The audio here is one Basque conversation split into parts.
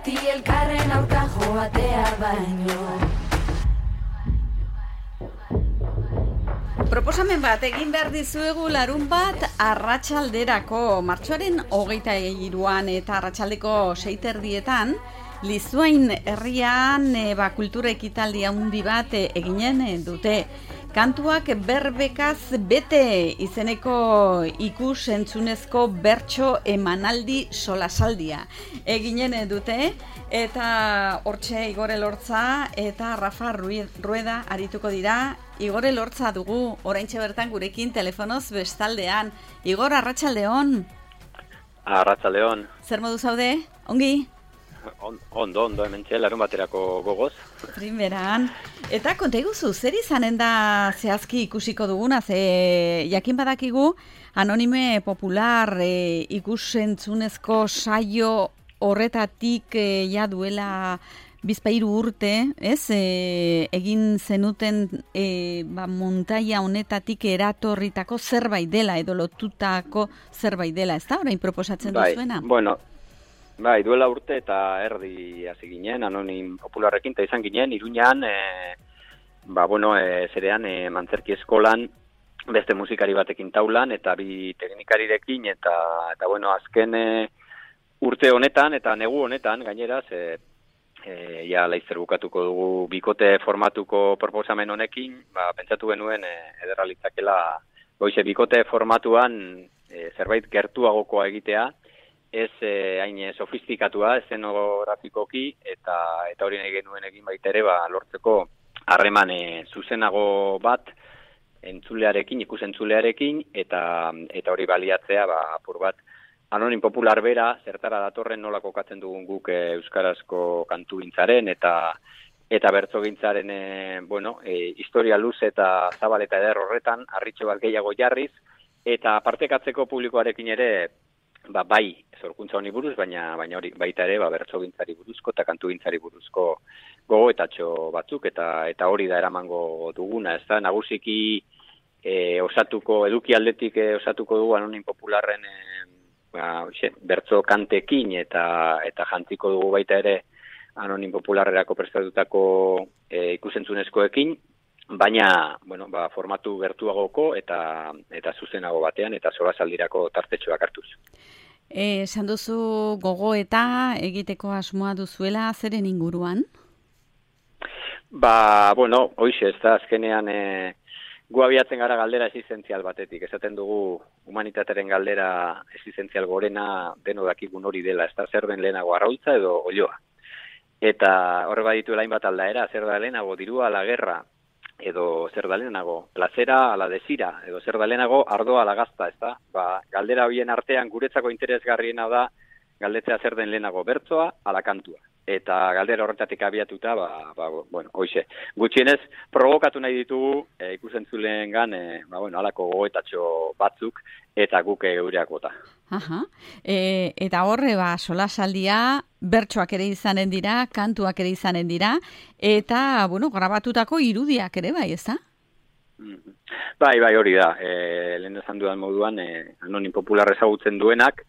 beti elkarren aurka joatea baino. Proposamen bat egin behar dizuegu larun bat arratsalderako martxoaren 23an eta arratsaldeko 6:30 Lizuain herrian kultura ekitaldi handi bat eginen dute. Kantuak berbekaz bete izeneko ikus-entzunezko bertso emanaldi solasaldia eginen dute, eta hortxe Igor Elortza eta Rafa Rueda arituko dira. Igor Elortza dugu oraintxe bertan gurekin telefonoz bestaldean. Igor, arratsaldeon. Arratsaldeon. Zer modu zaude? Ongi? Ondo, hementxe larun baterako gogoz. Primeran. Eta konta iguzu, zer izanen da zehazki ikusiko duguna, ze jakin badakigu Anonime Popular ikusentzunezko saio horretatik ja duela bizpahiru urte, ez? Egin zenuten montaia honetatik eratorritako zerbait dela edo lotutako zerbait dela, ez da? Orain proposatzen duzuena? Bai, duela urte eta erdi hasi ginen, Anonim Popularrekin, eta izan ginen, Iruñan, zerean, Mantzerki eskolan, beste musikari batekin taulan, eta bi teknikarirekin, eta azken urte honetan, eta negu honetan, gainera, laizzer bukatuko dugu bikote formatuko proposamen honekin, pentsatu genuen ederra litzakela, goize bikote formatuan zerbait gertuagokoa egitea, ez hain sofistikatua, eszenografikoki, eta hori nahi genuen egin baita ere, lortzeko harreman zuzenago bat entzulearekin, ikusentzulearekin, eta hori baliatzea, apur bat, Anonim Popular bera, zertara datorren nola kokatzen dugun guk euskarazko kantugintzaren, eta bertsogintzaren, historia luz eta zabal eta eder horretan, harritxo bat gehiago jarriz, eta partekatzeko publikoarekin ere, bai, zorkuntza honi buruz, baina hori baita ere, bertsogintzari buruzko eta kantugintzari buruzko gogoetatxo batzuk, eta hori da eramango duguna, ez da, nagusiki eduki aldetik osatuko dugu Anonim Popularren bertso kantekin, eta jantziko dugu baita ere Anonim Popularrerako prestatutako ikusentzunezkoekin, baina, formatu gertuagoko eta zuzenago batean, eta solasaldirako tartetxoak hartuz. Esan duzu gogoeta egiteko asmoa duzuela, zeren inguruan? Hoixe, ez da, azkenean gu abiatzen gara galdera existentzial batetik. Esaten dugu humanitatearen galdera existentzial gorena deno dakigun hori dela, ez da, zer den lehenago arraultza edo olioa. Eta horre badituela hainbat aldaera, zer da lehenago dirua ala gerra, edo zer da lehenago plazera ala desira, edo zer da lehenago ardoa ala gazta, ez da? Galdera horien artean guretzako interesgarriena da galdetzea zer den lehenago bertsoa ala kantua. Eta galdera horretatik abiatuta, hoize. Gutxienez, provokatu nahi ditugu ikusentzuleengan, halako gogoetatxo batzuk, eta guk geureak bota. Eta horre, solasaldia, bertsoak ere izanen dira, kantuak ere izanen dira, eta, grabatutako irudiak ere bai, ez da? Bai, hori da. Lehen esan dudan moduan, Anonim Popular ezagutzen duenak,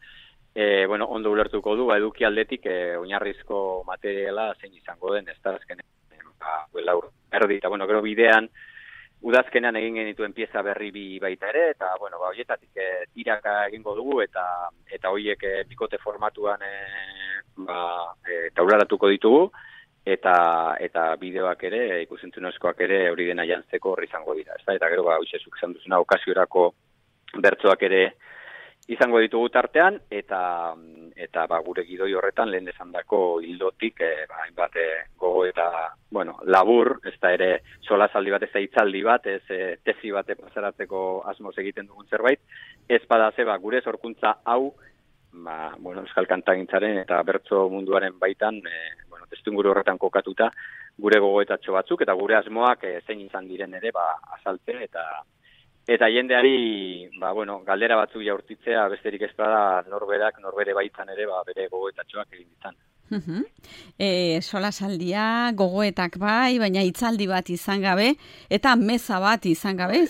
ondo ulertuko du, eduki aldetik oinarrizko materiala zein izango den, ez da, azkenean, erdi, eta, gero bidean, udazkenean egin genituen pieza berri bi baita ere, eta, horietatik tiraka egingo dugu, eta horiek bikote formatuan taularatuko ditugu, eta bideoak ere, ikusentzunezkoak ere, hori dena jantzeko horri izango dira, ez da, eta gero, hoixezuk izan duzuna, okasiorako bertsoak ere izango ditugu tartean, eta gure gidoi horretan lehen esandako hildotik, hainbat gogo eta, labur, ez da ere solasaldi bat, ez da hitzaldi bat, ez tesi bat pasaratzeko asmoz egiten dugun zerbait, ez badaze, gure sorkuntza hau, euskal kantagintzaren eta bertso munduaren baitan, testuinguru horretan kokatuta, gure gogoetatxo batzuk, eta gure asmoak zein izan diren ere, azaltzen, eta jendeari, galdera batzuk jaurtitzea, besterik ez bada norbere baitan ere, bere gogoetatxoak egin ditzan. Solasaldia, gogoetak bai, baina hitzaldi bat izan gabe, eta meza bat izan gabe,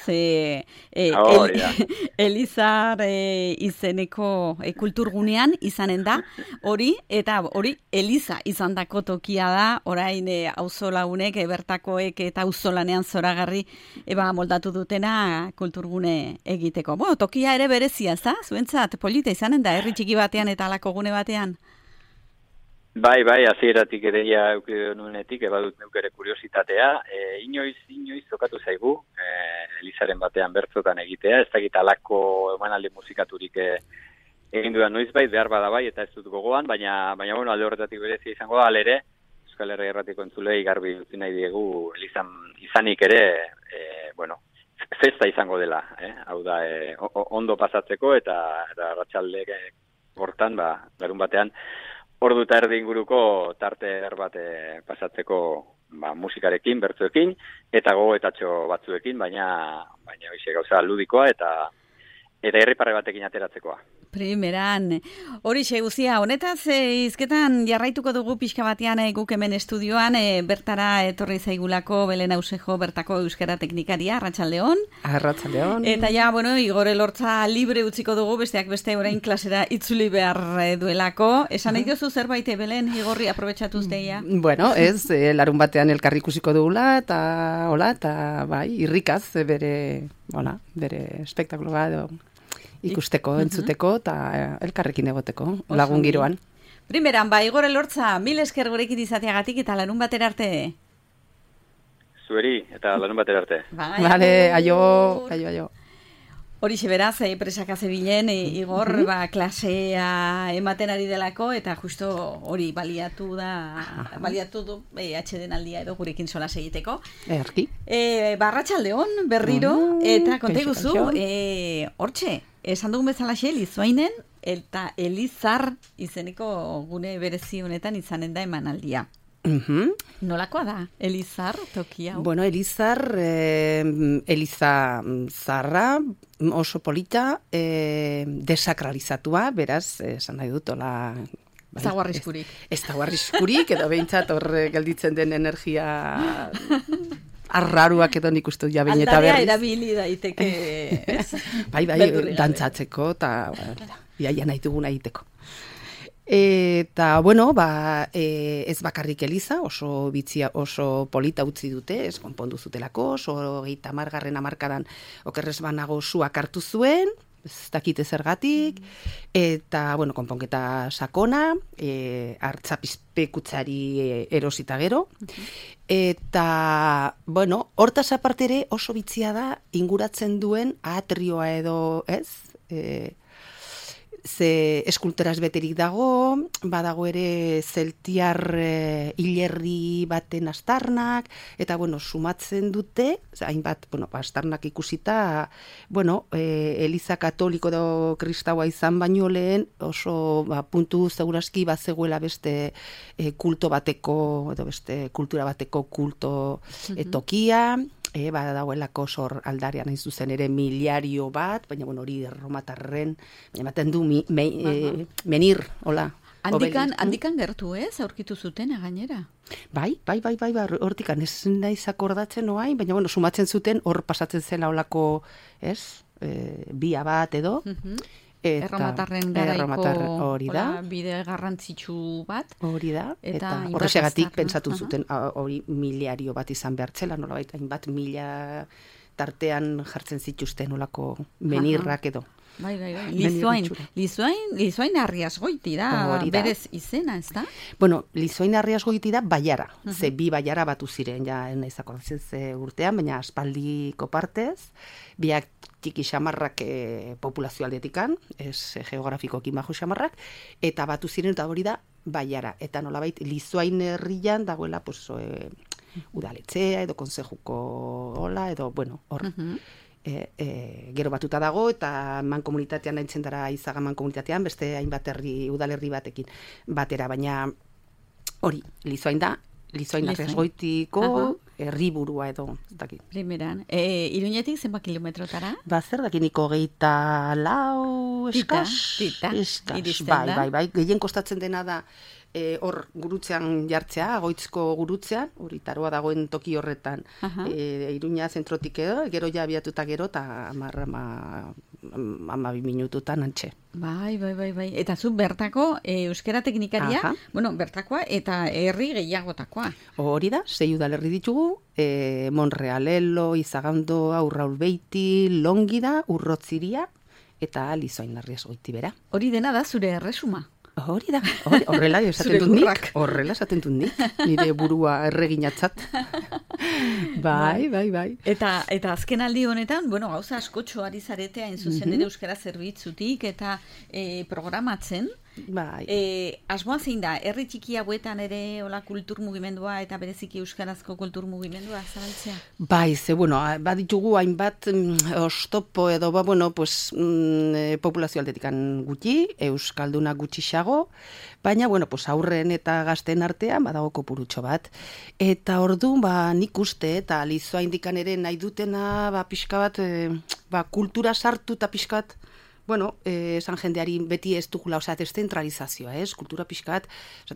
Elizar izeneko kulturgunean izanen da, hori Eliza izan dako tokia da, orain auzolagunek, bertakoek eta auzolanean zoragarri moldatu dutena kulturgune egiteko. Tokia ere berezia, zuentzat, polita izanen da, herri txiki batean eta alako gune batean? Bai, hasieratik ere nuenetik, badut neukere kuriositatea. Inoiz zokatu zaigu, Elizaren batean bertzotan egitea, ez dakit alako emanaldi musikaturik egin dudan noiz bai, behar bada bai, eta ez dut gogoan, baina alde horretatik berezia izango da, alere, Euskal Herria Irratiko entzulei garbi utzi nahi diegu, Elizan izanik ere, festa izango dela, hau da, ondo pasatzeko, eta arratsalde hortan, larun batean, ordu eta erdi inguruko tarte bat pasatzeko musikarekin, bertzoekin, eta gogoetatxo batzuekin, baina hoize gauza ludikoa eta herriparre batekin ateratzekoa. Primeran, hori guztia, honetaz hizketan jarraituko dugu pixka batean guk hemen estudioan, bertara etorri zaigulako Belen Ausejo bertako euskara teknikaria, Arratsaldeon. Arratsaldeon. Eta Igor Elortza libre utziko dugu, besteak beste orain klasera itzuli behar duelako. Esan nahi duzu zerbait, Belen, Igorri, aprobetxatuz deia? Bueno, larun batean elkarri ikusiko dugula, eta bai, irrikaz bere espektakuloa edo ikusteko, entzuteko, eta elkarrekin egoteko, lagun giroan. Primeran, Igor Elortza, mil esker gurekin izateagatik eta larun batera arte. Zueri, eta larun batera arte. Vale, aio. Horixe beraz, presaka zebilen, Igor, klasea ematen ari delako, eta justo hori baliatu du atxeden aldia edo gurekin solas egiteko. Erki. Arratsaldeon berriro, eta konta guzu, hortxe, esan dugun bezalaxe, Lizoainen, eta Elizar izeneko gune berezi honetan izanen da emanaldia. Nolakoa da, Elizar tokia? Bueno, Elizar, Eliza zarra, oso polita, desakralizatua, beraz, esan nahi dut, ez dago arriskurik. Ez dago arriskurik, edo behintzat hor gelditzen den energia arraruak edo nik uste jabein eta berriz. Aldarea erabili daiteke, ez? Bai, dantzatzeko, eta iaia nahi duguna egiteko. Eta, ez bakarrik Eliza, oso bitzia, oso polita utzi dute, ez konpondu zutelako, oso 30. hamarkadan okerrez banago suak hartu zuen, ez dakite zergatik, eta, konponketa sakona, hartzapizpekutzari erosita gero, eta, hortaz apartere oso bitzia da inguratzen duen atrioa edo, ez? Ze eskulturaz beterik dago, badago ere zeltiar hilerri baten astarnak, eta, sumatzen dute, hainbat, astarnak ikusita, Eliza katoliko edo kristaua izan baino lehen, oso puntu seguraski bazegoela beste kulto bateko, edo beste kultura bateko kulto tokia, dagoelako sor aldarean hain zuzen ere miliario bat, baina hori erromatarren, baina ematen du menir, hola. Handikan gertu aurkitu zuten gainera? Bai, hortikan ez naiz akordatzen oain, baina sumatzen zuten hor pasatzen zela holako, bia bat edo, erromatarren garaiko bide garrantzitsu bat. Hori da, eta horrexegatik pentsatu zuten hori miliario bat izan behartzela, nolabait hainbat mila tartean jartzen zituzten olako menirrak edo. Bai. Lizoain Arriasgoiti da, berez izena, ez da? Lizoain Arriasgoiti da baiara, ze bi baiara batu ziren, ja naiz akordatzen ze urtean, baina aspaldiko partez, biak txiki xamarrak populazio aldetikan, ez geografikoki majo xamarrak, eta batu ziren eta hori da baiara, eta nolabait Lizoain herrian dagoela udaletzea edo konsejuko hola, edo hor. Gero batuta dago, eta mankomunitatean nahitzen dara Izaga mankomunitatean, beste hainbat udalerri batekin batera, baina hori, Lizoain da, Lizoain Arriasgoitiko herriburua edo, ez dakit. Primeran, Iruñetik zenbat kilometrotara? Zer dakiniko 24 eskas? Tita, iristen da. Bai, gehien kostatzen dena da hor gurutzean jartzea, Agoitzko gurutzean, hori taroa dagoen toki horretan, Iruña zentrotik edo, gero ja abiatuta gero, eta 12 minututan antxe. Bai. Eta zu bertako euskera teknikaria, bertakoa eta herri gehiagotakoa. Hori da, 6 udalerri ditugu, Monrealelo, Izagando, Aurraulbeiti, Longida, Urrotziria, eta Lizoain-Larriaz Goitibera. Hori dena da zure erresuma. Hori da, horrela esaten dut nik, nire burua erreginatzat. Bai. Eta azken aldi honetan, gauza askotxo ari zarete hain zuzen ere euskara zerbitzutik eta programatzen. Bai. Asmoa zein da, herri txiki hauetan ere hola kultur mugimendua eta bereziki euskarazko kultur mugimendua zabaltzea? Bai, baditugu hainbat oztopo edo, populazio aldetikan gutxi, euskalduna gutxixago, baina, aurren eta gazten artean badago kopurutxo bat. Eta orduan, nik uste, eta Lizoa indikan ere nahi dutena, pixka bat, kultura sartu eta pixka bat, esan jendeari beti ez dugula, deszentralizazioa, kultura pixkat,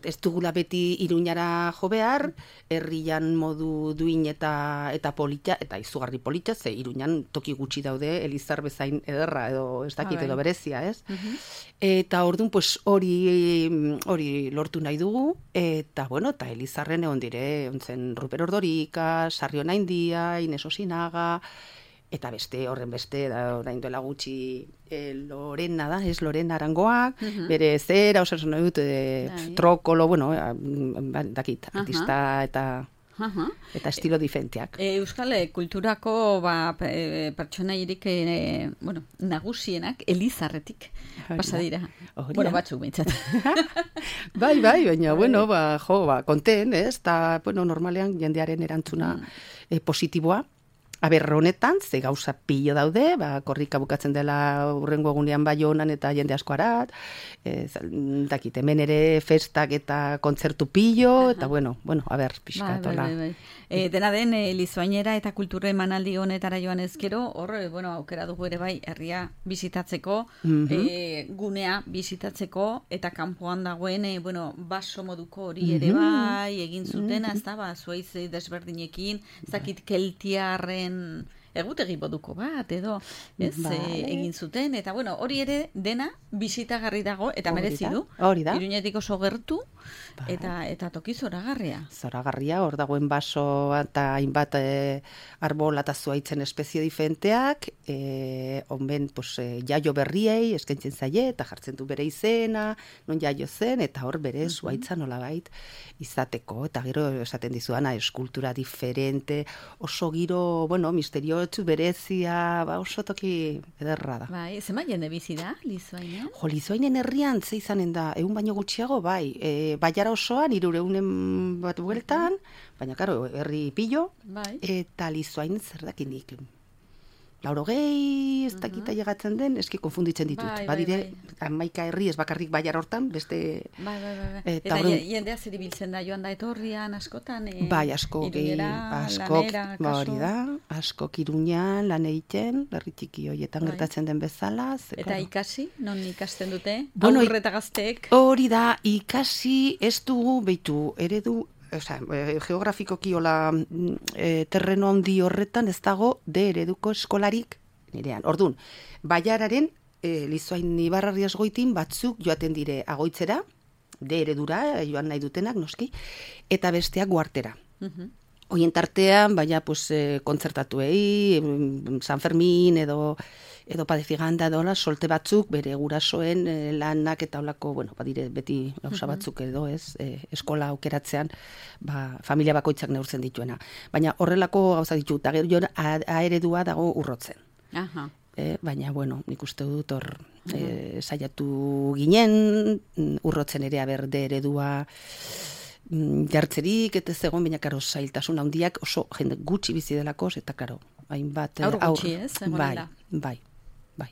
ez dugula beti Iruñara jo behar, herrian modu duin eta polita, eta izugarri polita, ze Iruñan toki gutxi daude, Elizar bezain ederra, edo ez dakit, edo berezia, ez? Eta orduan, hori lortu nahi dugu, eta Elizarren egon dire, ontzen Ruper Ordorika, Sarrion Aindia, Ines Osinaga, eta horren beste, orain duela gutxi Lorena da, ez Lorena Arangoak, bere zera, osasun nahi dut, trokolo, dakit, artista eta estilo diferenteak. Euskal kulturako pertsonairik nagusienak Elizarretik pasa dira. Batzuk bintzat. Bai, baina, konten, ez? Eta, normalean jendearen erantzuna positiboa. Honetan, ze gauza pilo daude, korrika bukatzen dela urrengo egunean Baionan eta jende asko arat, hemen ere festak eta kontzertu pilo, eta pixka. Dena den, Lizoainera eta kultura emanaldi honetara joan ezkero, aukera dugu ere bai, herria bizitatzeko, gunea bizitatzeko, eta kanpoan dagoen, baso moduko hori ere bai, egin zutena, ez da, zuaiz desberdinekin, ez dakit keltiarren egutegi moduko bat, edo, ez, egin zuten, eta hori ere dena bisitagarri dago, eta merezi du, Iruñetik oso gertu, eta toki zoragarria. Zoragarria, hor dagoen baso eta hainbat arbol eta zuaitzen espezie diferenteak, onben jaio berriei eskaintzen zaie, eta jartzen du bere izena, non jaio zen, eta hor bere zuaitza nolabait izateko, eta gero esaten dizuana, eskultura diferente, oso giro, misteriotsu berezia, oso toki ederra da. Bai, zema jende bizi da, Lizoainen? Lizoainen herrian ze izanen da, 100 baino gutxiago, bai, Baiara osoan, 300 bat bueltan, baina, karo, herri pillo, eta Lizoain zer dakinik. 80, ez dakita llegatzen den, eski konfunditzen ditut. Badire, 11 herri ez bakarrik Baiara hortan, beste... Eta jendea zer ibiltzen da, joan da etorrian, askotan? Bai, askok, askok Iruñan, lan egiten, herri txiki horietan gertatzen den bezala. Eta ikasi, non ikasten dute? Aurre eta gazteek? Hori da, ikasi ez dugu, behitu, eredu, geografikoki terreno handi horretan ez dago ereduko eskolarik nirean. Orduan, Baiararen Lizoain Ibarrarriaz Goitin batzuk joaten dire Agoitzera, eredura joan nahi dutenak, noski, eta besteak Guartera. Hoien tartean, kontzertatuei, San Fermin edo Padefiganda edo solte batzuk, bere gurasoen lanak eta olako, badire beti gauza batzuk edo, ez, eskola aukeratzean, familia bakoitzak neurtzen dituena. Baina horrelako gauza ditu, eta gero eredua dago Urrotzen. Baina, nik uste dut hor saiatu ginen, Urrotzen ere aberde eredua jartzerik, eta zegoen, baina karo zailtasun handiak oso jende gutxi bizi delako, eta karo, hainbat aur gutxi, ez? Bai.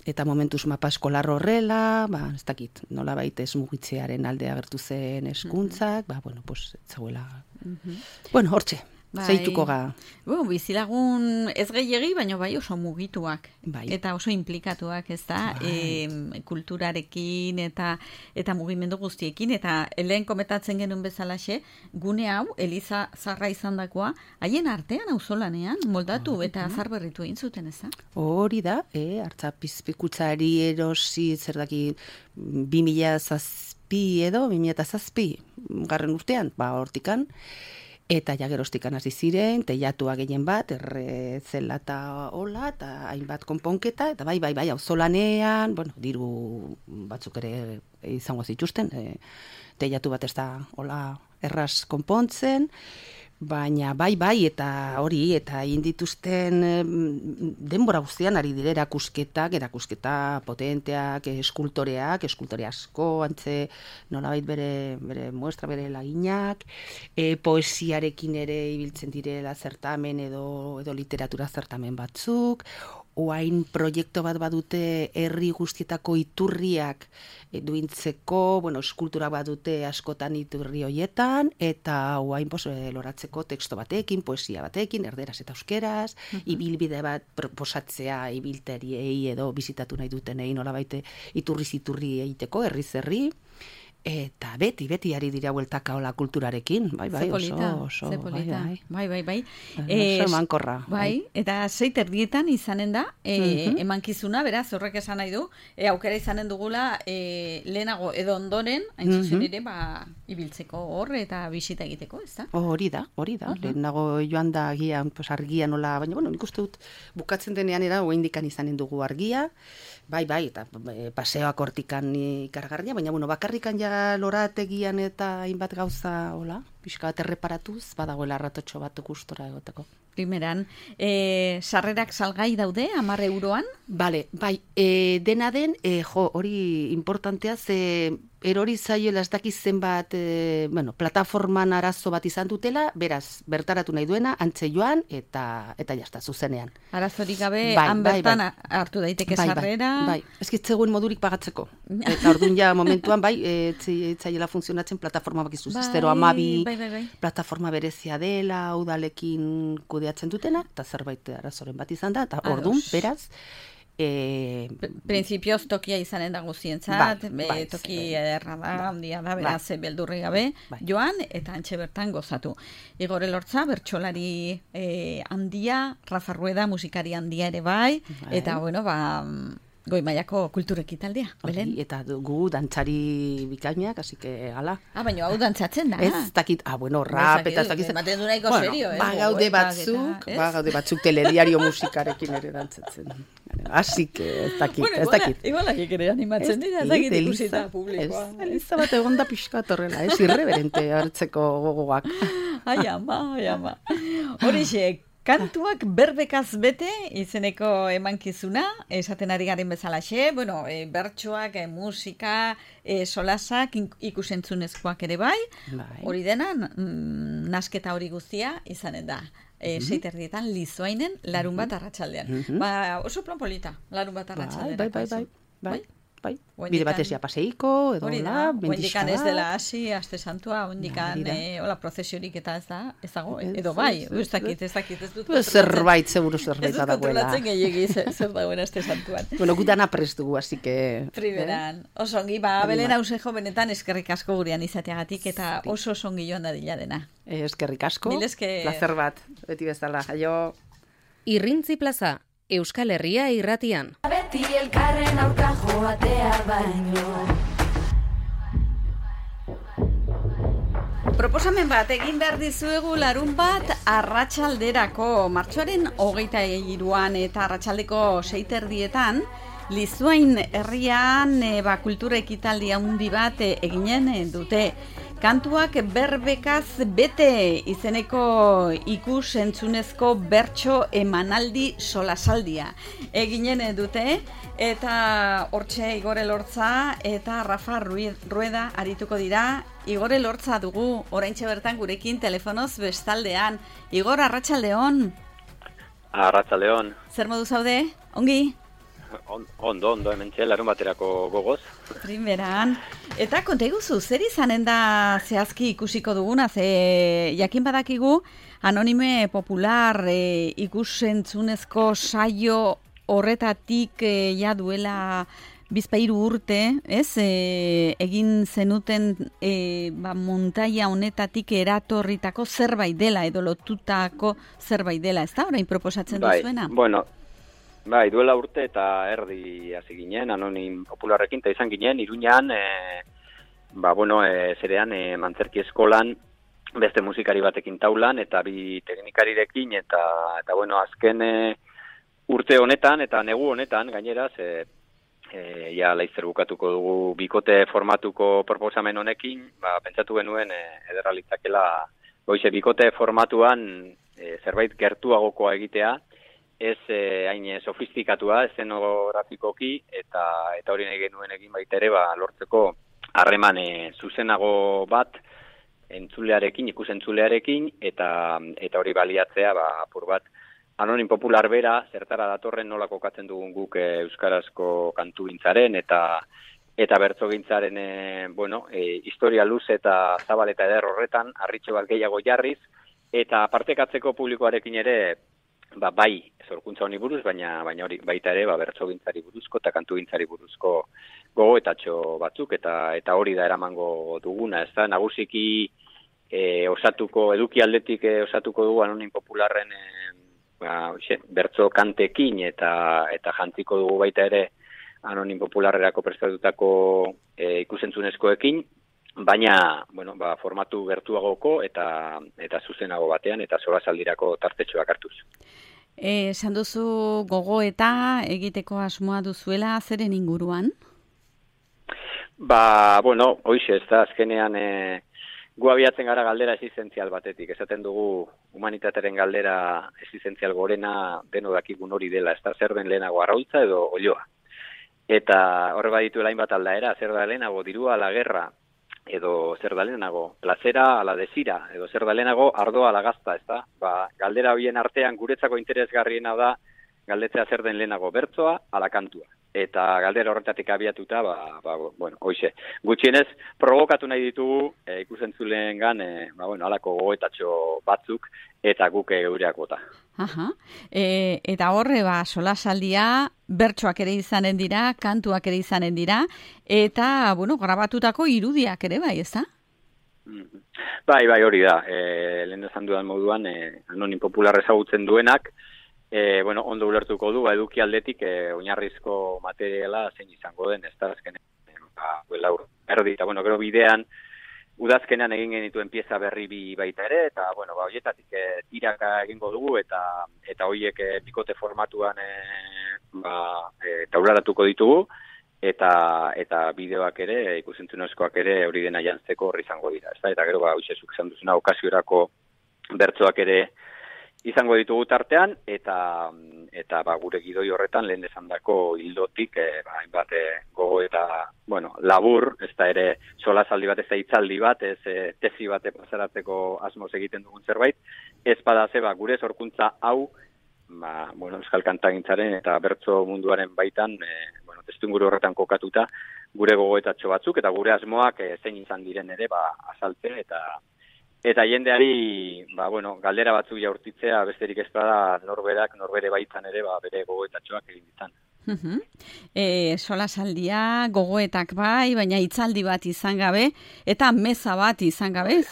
Eta momentuz mapa eskolar horrela, ez dakit, nola baita ez mugitzearen alde agertu zen eskuntzak, ez zegoela. Hortxe. Zeituko ga. Bizilagun ez gehiegi, baina bai oso mugituak. Bai. Eta oso implikatuak, ez da, kulturarekin eta mugimendu guztiekin. Eta lehen komentatzen genuen bezalaxe, gune hau, Eliza Zarra izandakoa, haien artean auzolanean moldatu eta azar berritu egin zuten, ez da? Hori da, artzapizpikutzari erosi zerdaki 2007 edo, 2007 garren urtean, hortikan, eta jagerostikan hasi ziren, teiatua gehien bat, zela eta hola, eta hainbat konponketa, eta bai, auzolanean, diru batzuk ere izango zituzten, teiatu bat ez da hola erraz konpontzen, baina bai, eta hori, eta egin dituzten denbora guztian ari dire erakusketa potenteak, eskultore asko, antze nolabait bere muestra, bere laginak, poesiarekin ere ibiltzen direla zertamen edo literatura zertamen batzuk, oain proiektu bat badute herri guztietako iturriak duintzeko, eskultura badute askotan iturri hoietan, eta oain loratzeko teksto batekin, poesia batekin, erderaz eta euskeraz, ibilbide bat proposatzea ibilteriei edo bizitatu nahi dutenei nolabait iturriz iturri egiteko, herriz herri, eta beti ari dira bueltaka hola kulturarekin, bai, oso polita. Bai. Oso emankorra. Bai, eta 6:30 izanen da, emankizuna, beraz, horrek esan nahi du, aukera izanen dugula lehenago edo ondoren, hain zuzen ere, ibiltzeko hor eta bisita egiteko, ez da? Hori da, lehenago joan da agian, argia nola, baina, nik uste dut bukatzen denean era, oindikan izanen dugu argia, bai, eta paseoak hortikan ikargarria, baina, bakarrikan ja lorategian eta hainbat gauza, hola, pixka bat erreparatuz, badagoela ratotxo bat gustora egoteko. Primeran, sarrerak salgai daude, 10 euroan? Bai, dena den, hori importantea, ze erori zaioela ez dakiz zenbat, plataforman arazo bat izan dutela, beraz, bertaratu nahi duena, antze joan, eta jazta, zuzenean. Arazorik gabe, han bertan hartu daiteke sarrera? Bai, ezkitzegoen modurik pagatzeko. Eta orduan ja momentuan, zaiela funtzionatzen plataforma bakizu, 012 plataforma berezia dela, udalekin kudeatzen dutena, eta zerbait arazoren bat izan da, eta orduan, beraz, Printzipioz tokia izanen da guztientzat, toki ederra da, handia da, beraz, beldurri gabe, joan, eta antxe bertan gozatu. Igor Elortza, bertsolari handia, Rafa Rueda, musikari handia ere bai, eta, goi mailako kulturekitaldea, Belen? Eta gu dantzari bikainak, así que, ala. Baina hau dantzatzen da. Ez dakit, rap, eta ez dakit. Ematen du nahiko serio, Gaude batzuk telediario musikarekin ere dantzatzen. Así que, ez dakit. Igual ere animatzen dira, ez dakit ikusita publikoa. Eliza bat egon da pixka torrela, irreverente hartzeko gogoak. Ai ama. Horixe, kantuak berbekaz bete izeneko emankizuna, esaten ari garen bezalaxe, bertsoak, musika, solasak, ikusentzunezkoak ere bai, hori dena, nasketa hori guztia izanen da. 6:30 Lizoainen larun bat arratsaldean. Oso plan polita, larun bat arratsaldean. Bai. Bide batezia paseiko, edo la, bendikan ez dela hasi, aste santua, ondikan prozesiorik eta ez dago, edo bai, ez dakit, ez dut. Zerbait, seguro zerbait badagoela. Ez dut kontrolatzen gehiagi zer dagoen aste santuan. Gutana prest dugu, así que... Primeran, oso ongi, Belen Ausejo benetan eskerrik asko gurean izateagatik, eta oso ongi joan dadila dena. Eskerrik asko, placer bat, beti bezala, jaio. Irrintzi Plaza, Euskal Herria irratian. Beti elkarren aurka joatea baino. Proposamen bat egin behar dizuegu larun bat arratsalderako martxoaren 23an eta arratsaldeko 6:30 Lizoain herrian kultura ekitaldi handi bat eginen dute. Kantuak berbekaz bete izeneko ikus-entzunezko bertso emanaldi solasaldia eginen dute, eta hortxe Igor Elortza eta Rafa Rueda arituko dira. Igor Elortza dugu oraintxe bertan gurekin telefonoz bestaldean. Igor, arratsaldeon. Arratsaldeon. Zer modu zaude? Ongi? Ondo, hemen larun baterako gogoz. Primeran. Eta konta iguzu, zer izanen da zehazki ikusiko duguna, ze jakin badakigu Anonime Popular ikusentzunezko saio horretatik ja duela bizpahiru urte, ez? Egin zenuten montaia honetatik eratorritako zerbait dela, edo lotutako zerbait dela, ez da? Orain proposatzen duzuena? Bueno, duela urte eta erdi hasi ginen, Anonim Popularrekin, eta izan ginen, Iruñan, zerean, Mantzerki eskolan, beste musikari batekin taulan, eta bi teknikarirekin, eta azken urte honetan, eta negu honetan, gainera, ja laizzer bukatuko dugu bikote formatuko proposamen honekin, pentsatu genuen ederra litzakela, bikote formatuan zerbait gertuagokoa egitea, ez hain sofistikatua, eszenografikoki, eta hori nahi genuen egin baita ere, lortzeko harreman zuzenago bat, entzulearekin, ikusentzulearekin, eta hori baliatzea, apur bat, Anonim Popular bera, zertara datorren nola kokatzen dugun guk euskarazko kantugintzaren, eta bertsogintzaren, historia luz eta zabal eta eder horretan, harritxo bat gehiago jarriz, eta partekatzeko publikoarekin ere, bai, sorkuntza honi buruz, baina hori baita ere, bertsogintzari buruzko eta kantugintzari buruzko gogoetatxo batzuk, eta hori da eramango duguna, ez da, nagusiki eduki aldetik osatuko dugu Anonim Popularren bertso kantekin eta jantziko dugu baita ere Anonim Popularrerako prestatutako ikusentzunezkoekin, baina formatu gertuagoko eta zuzenago batean eta solasaldirako tartetxoak hartuz. Esan duzu gogoeta egiteko asmoa duzuela, zeren inguruan? Hoize, ez da, azkenean gu abiatzen gara galdera existentzial batetik. Esaten dugu humanitatearen galdera existentzial gorena deno dakigun hori dela. Ez da, zer den lehenago arraultza edo olioa. Eta horre baditu hainbat aldaera, zer da lehenago dirua ala gerra, edo zer da lehenago plazera ala desira, edo zer da lehenago ardoa ala gazta, ez da? Galdera horien artean guretzako interesgarriena da galdetzea zer den lehenago bertsoa ala kantua. Eta galdera horretatik abiatuta, hoize. Gutxienez, provokatu nahi ditugu ikusentzuleengan, halako gogoetatxo batzuk, eta guk eureak bota. Eta horre, solasaldia, bertsoak ere izanen dira, kantuak ere izanen dira, eta, grabatutako irudiak ere bai, ez da? Bai, hori da. Lehen esan dudan moduan, Anonim Popular ezagutzen duenak, ondo ulertuko du, eduki aldetik oinarrizko materiala zein izango den, ez da, azkenean, erdi, eta, gero bidean, udazkenean egin genituen pieza berri bi baita ere, eta, horietatik tiraka egingo dugu, eta horiek bikote formatuan taularatuko ditugu, eta bideoak ere, ikusentzunezkoak ere, hori dena jantzeko horri izango dira, ez da, eta gero, hoizezuk izan duzuna, okasiorako bertsoak ere izango ditugu tartean, eta gure gidoi horretan lehen esandako hildotik, hainbat gogo eta, labur, ez da ere solasaldi bat, ez da hitzaldi bat, ez tesi bat pasaratzeko asmoz egiten dugun zerbait, ez badaze, gure sorkuntza hau, euskal kantagintzaren eta bertso munduaren baitan, testuinguru horretan kokatuta, gure gogoetatxo batzuk, eta gure asmoak zein izan diren ere, azaltze, eta jendeari, galdera batzuk jaurtitzea, besterik ez da norbere baitan ere, bere gogoetatxoak egin ditan. Solasaldia, gogoetak bai, baina hitzaldi bat izan gabe, eta meza bat izan gabe,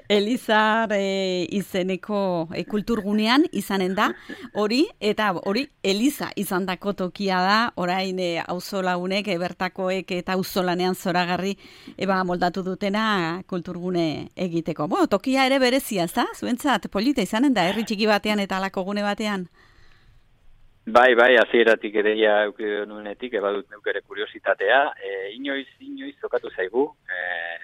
Elizar izeneko kulturgunean izanen da, hori Eliza izan dako tokia da, orain auzolagunek, bertakoek eta auzolanean zoragarri moldatu dutena kulturgune egiteko. Tokia ere berezia, ez da? Zuentzat, polita izanen da, herri txiki batean eta alako gune batean? Bai, hasieratik ere nuenetik, badut neukere kuriositatea. Inoiz zokatu zaigu,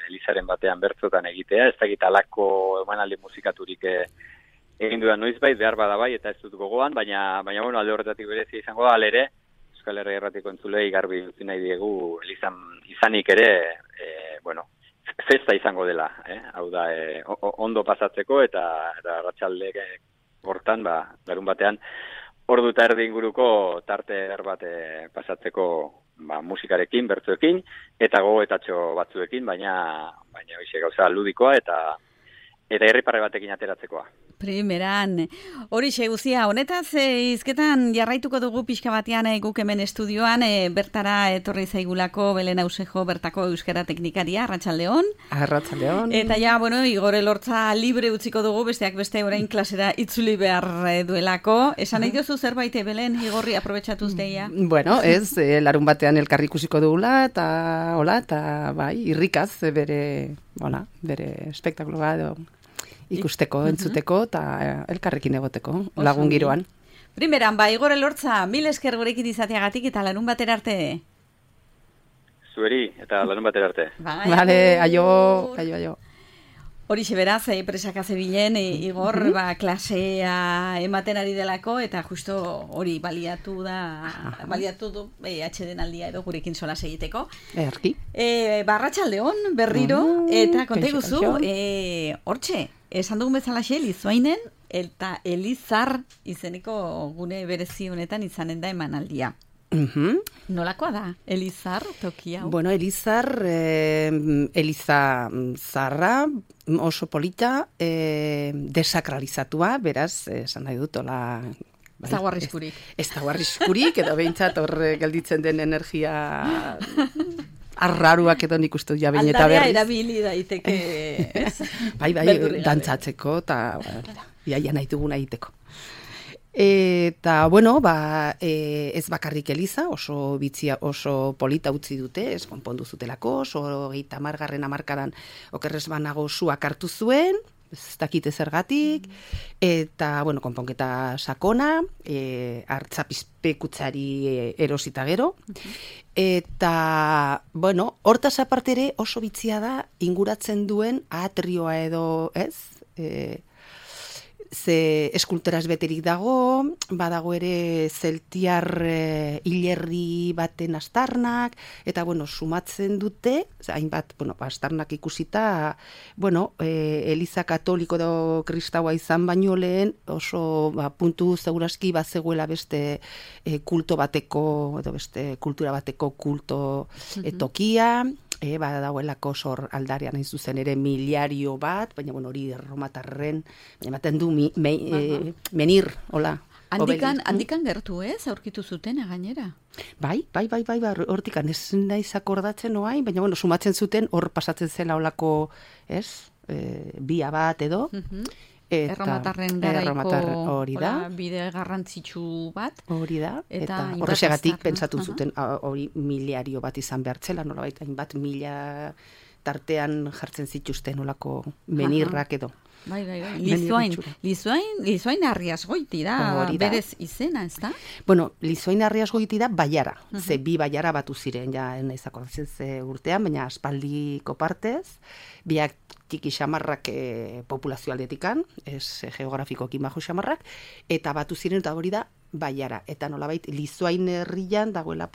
Elizaren batean bertzotan egitea, ez dakit alako emanaldi musikaturik egin dudan noizbait, behar bada bai, eta ez dut gogoan, baina alde horretatik berezia izango da, alere, Euskal Herria Irratiko entzulei garbi utzi nahi diegu, Elizan izanik ere, festa izango dela, hau da, ondo pasatzeko, eta arratsalde hortan, larun batean, ordu eta erdi inguruko tarte eder bat pasatzeko musikarekin, bertzuekin, eta gogoetatxo batzuekin, baina hoize gauza ludikoa eta irriparre batekin ateratzekoa. Primeran, horixe guzia, honetaz hizketan jarraituko dugu pixka batean guk hemen estudioan, bertara etorri zaigulako Belen Ausejo bertako euskara teknikaria, Arratsaldeon. Arratsaldeon. Eta ja, Igor Elortza libre utziko dugu, besteak beste orain klasera itzuli behar duelako. Esan nahi diozu zerbait, Belen, Igorri, aprobetxatuz deia? Bueno, ez, larun batean elkarri ikusiko dugula, eta bai, irrikaz bere espektakuloa edo ikusteko, entzuteko, eta elkarrekin egoteko, lagun giroan. Primeran, Igor Elortza, mil esker gurekin izateagatik eta larun batera arte. Zueri, eta larun batera arte. Vale, aio. Horixe beraz, presaka zebilen, Igor, klasea ematen ari delako, eta justo hori baliatu du atxeden aldia edo gurekin solas egiteko. Erki. Arratsaldeon berriro, eta konteguzu, hortxe, esan dugun bezalaxe, Lizoainen, eta Elizar izeneko gune berezi honetan izanen da emanaldia. Nolakoa da, Elizar tokia? Bueno, Elizar, Eliza zarra, oso polita, desakralizatua, beraz, esan nahi dut, hola... Ez dago arriskurik. Ez dago arriskurik, edo behintzat hor gelditzen den energia arraruak edo nik uste ja behin eta berriz. Aldarea erabili daiteke, ez? Bai, dantzatzeko, eta iaia nahi duguna egiteko. Eta, ez bakarrik Eliza, oso bitzia, oso polita utzi dute, ez konpondu zutelako, oso 30. hamarkadan okerrez banago suak hartu zuen, ez dakite zergatik, eta, konponketa sakona, hartzapizpekutzari erosita gero, eta, hortaz aparte ere oso bitzia da inguratzen duen atrioa edo, ez, ze eskulturaz beterik dago, badago ere zeltiar hilerri baten astarnak, eta, sumatzen dute, hainbat, astarnak ikusita, Eliza katoliko edo kristaua izan baino lehen, oso puntu seguraski bazegoela beste kulto bateko, edo beste kultura bateko kulto tokia, dagoelako sor aldarean hain zuzen ere miliario bat, baina hori erromatarren, baina ematen du menir, hola. Handikan gertu aurkitu zuten gainera? Bai, hortikan ez naiz akordatzen oain, baina sumatzen zuten hor pasatzen zela holako, bia bat edo, Erromatarren garaiko bide garrantzitsu bat. Hori da, eta horrexegatik pentsatu zuten hori miliario bat izan behartzela, nolabait hainbat mila tartean jartzen zituzten olako menirrak edo. Bai. Lizoain Arriasgoiti da, berez izena, ez da? Lizoain Arriasgoiti da baiara, ze bi baiara batu ziren, ja naiz akordatzen ze urtean, baina aspaldiko partez, biak tiki xamarrak populazio aldetikan, ez geografikoki majo xamarrak, eta batu ziren eta hori da baiara, eta nolabait Lizoain herrian dagoela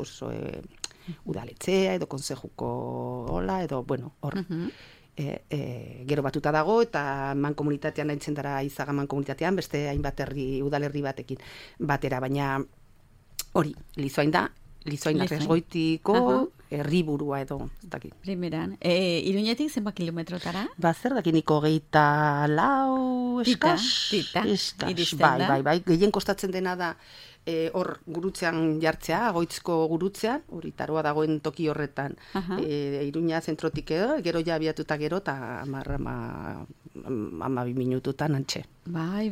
udaletzea edo konsejuko hola, edo hor. Gero batuta dago eta mankomunitatean aintzen dara Izaga mankomunitatean beste hainbat udalerri batekin batera, baina hori, Lizoain da, Lizoain Arriasgoitiko herriburua edo, ez dakit. Primeran, Iruñetik zenbat kilometrotara? Zer dakiniko 24 eskas. Bai, gehien kostatzen dena da hor gurutzean jartzea, Agoitzko gurutzean, hori taroa dagoen toki horretan, Iruña zentrotik edo, gero ja abiatuta gero, eta 12 minututan antxe. Bai.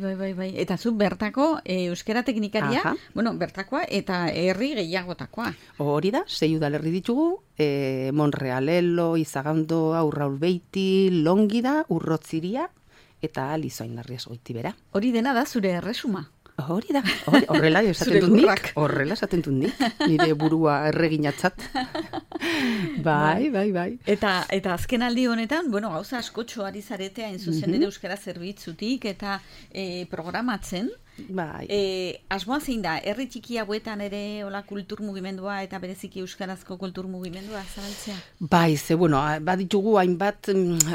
Eta zu bertako euskera teknikaria, bertakoa eta herri gehiagotakoa. Hori da, 6 udalerri ditugu, Monrealelo, Izagando, Aurraulbeiti, Longida, Urrotziria, eta Lizoain Arriasgoiti bera. Hori dena da zure erresuma. Hori da, horrela esaten dut nik, nire burua erreginatzat. Bai. Eta azken aldi honetan, gauza askotxo ari zarete hain zuzen ere euskara zerbitzutik eta programatzen, Bai. Asmoa zein da, herri txiki hauetan ere hola kultur mugimendua eta bereziki euskarazko kultur mugimendua zabaltzea? Bai, bueno, baditugu hainbat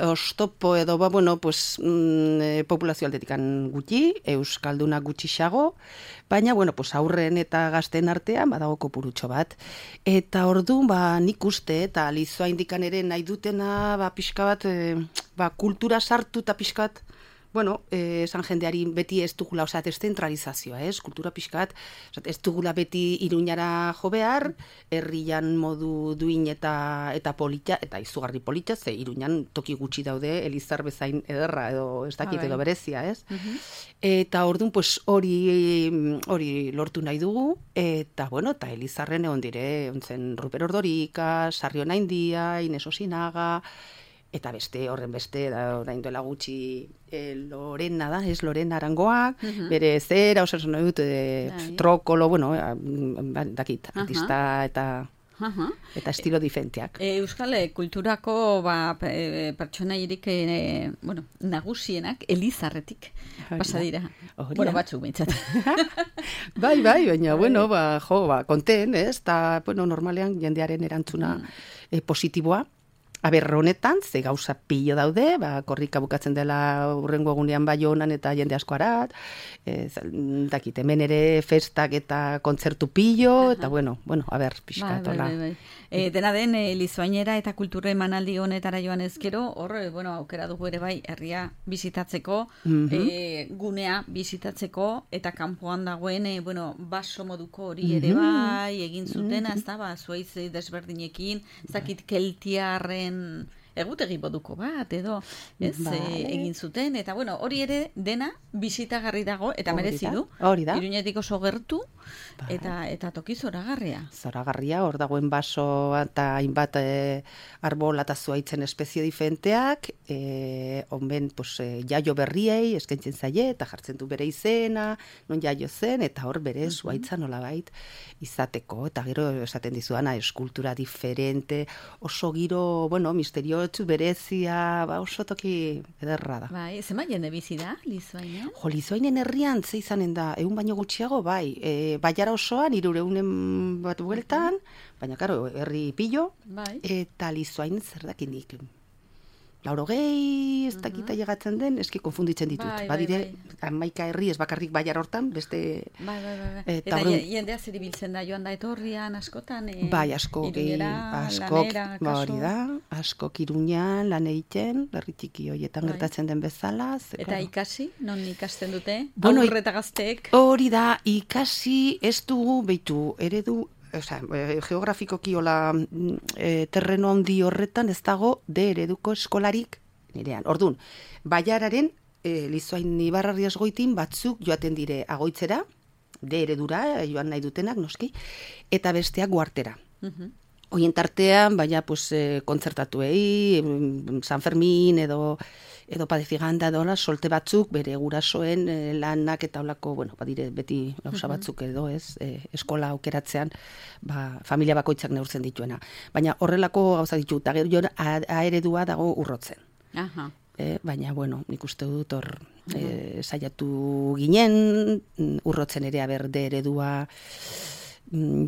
oztopo edo, populazio aldetikan gutxi, euskaldunak gutxixago, baina, aurren eta gazten artean badago kopurutxo bat. Eta orduan, nik uste, eta lizoa indikan ere nahi dutena, pixka bat, kultura sartu eta pixka bat, esan jendeari beti ez dugula, ez zentralizazioa, kultura pixka bat, ez dugula beti Iruñara jo behar, herrian modu duin eta polita, eta izugarri polita, ze Iruñan toki gutxi daude, Elizar bezain ederra, edo ez dakit edo berezia, ez? Eta orduan, hori lortu nahi dugu, eta, eta Elizarren egon dire, ontzen Ruper Ordorika, Sarriona India, Ines Osinaga, eta horren beste, orain duela gutxi Lorena da, ez Lorena Arangoak, bere zera, osasun nahi dut, trokolo, dakit, artista eta estilo diferenteak. Euskal kulturako pertsonairik nagusienak Elizarretik pasa dira. Batzuk bintzat. Bai, baina, konten, ez? Eta, normalean jendearen erantzuna positiboa. Honetan, ze gauza pilo daude, korrika bukatzen dela urrengo egunean Baionan eta jende asko arat, dakit, hemen ere festak eta kontzertu pilo, eta pixka tola. Dena den, lizoainera eta kultura emanaldi honetara joan ezkero, aukera dugu ere bai, herria bizitatzeko, gunea bizitatzeko, eta kanpoan dagoen, baso moduko hori ere bai, egin zutena, ez da, zuaiz desberdinekin, ez dakit keltiarren egutegi moduko bat, edo, ez, egin zuten, eta hori ere dena bizitagarri dago, eta merezi du, Iruñetik oso gertu, eta toki zoragarria. Zoragarria, hor dagoen baso eta hainbat arbol eta zuaitzen espezie diferenteak, onben jaio berriei eskaintzen zaie, eta jartzen du bere izena, non jaio zen, eta hor bere zuaitza nolabait izateko, eta gero esaten dizuana, eskultura diferente, oso giro, misteriotsu, berezia, oso toki ederra da. Bai, zema jende bizi da, Lizoainen? Lizoainen herrian ze izanen da, 100 baino gutxiago, Baiara osoan, 300 bat bueltan, baina, karo, herri pillo, eta Lizoain zer dakinik. 80, ez dakita llegatzen den, eski konfunditzen ditut. Badire, 11 herri ez bakarrik Baiara hortan, beste... Eta jendea zer ibiltzen da, joan da etorrian, askotan? Askok, askok Iruñan, lan egiten, herri txiki horietan gertatzen den bezala. Eta ikasi, non ikasten dute? Aurre eta gazteek? Hori da, ikasi ez dugu, behitu, eredu, geografikoki terreno handi horretan ez dago ereduko eskolarik nirean. Orduan, Baiararen Lizoain Ibarrarriaz goitin batzuk joaten dire agoitzera, eredura joan nahi dutenak, noski, eta besteak guartera. Hoien tartean, baina kontzertatuei, San Fermin edo Padefiganda edo solte batzuk, bere gurasoen lanak eta olako, badire beti gauza batzuk edo ez, eskola aukeratzean, familia bakoitzak neurtzen dituena. Baina horrelako gauza ditu, eta gero aeredua dago urrotzen. Baina, nik uste dut hor saiatu ginen, urrotzen ere aberde eredua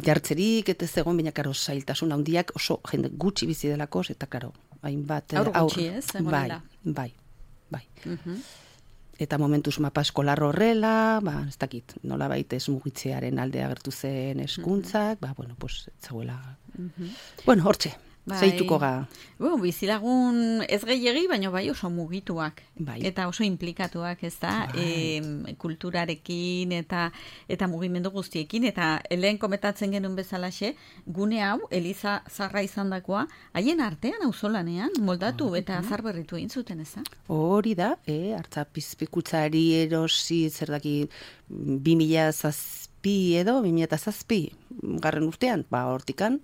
jartzerik, eta ez egon, baina karo zailtasun handiak oso jende gutxi bizi delako, eta karo, hainbat aur gutxi ez, egonela. Bai. Eta momentuz mapa eskolar horrela, ez dakit, nola baita ez mugitzearen alde agertu zen eskuntzak, etzaguela. Hortxe, zeituko ga. Bizilagun ez gehiegi, baina bai oso mugituak. Eta oso implikatuak, ez da, kulturarekin eta mugimendu guztiekin. Eta lehen komentatzen genuen bezalaxe, gune hau, Eliza Zarra izandakoa, haien artean auzolanean moldatu eta zarberritu egin zuten, ez da? Hori da, hartzapizpikutzari erosi zerdaki 2007 garren urtean, hortikan,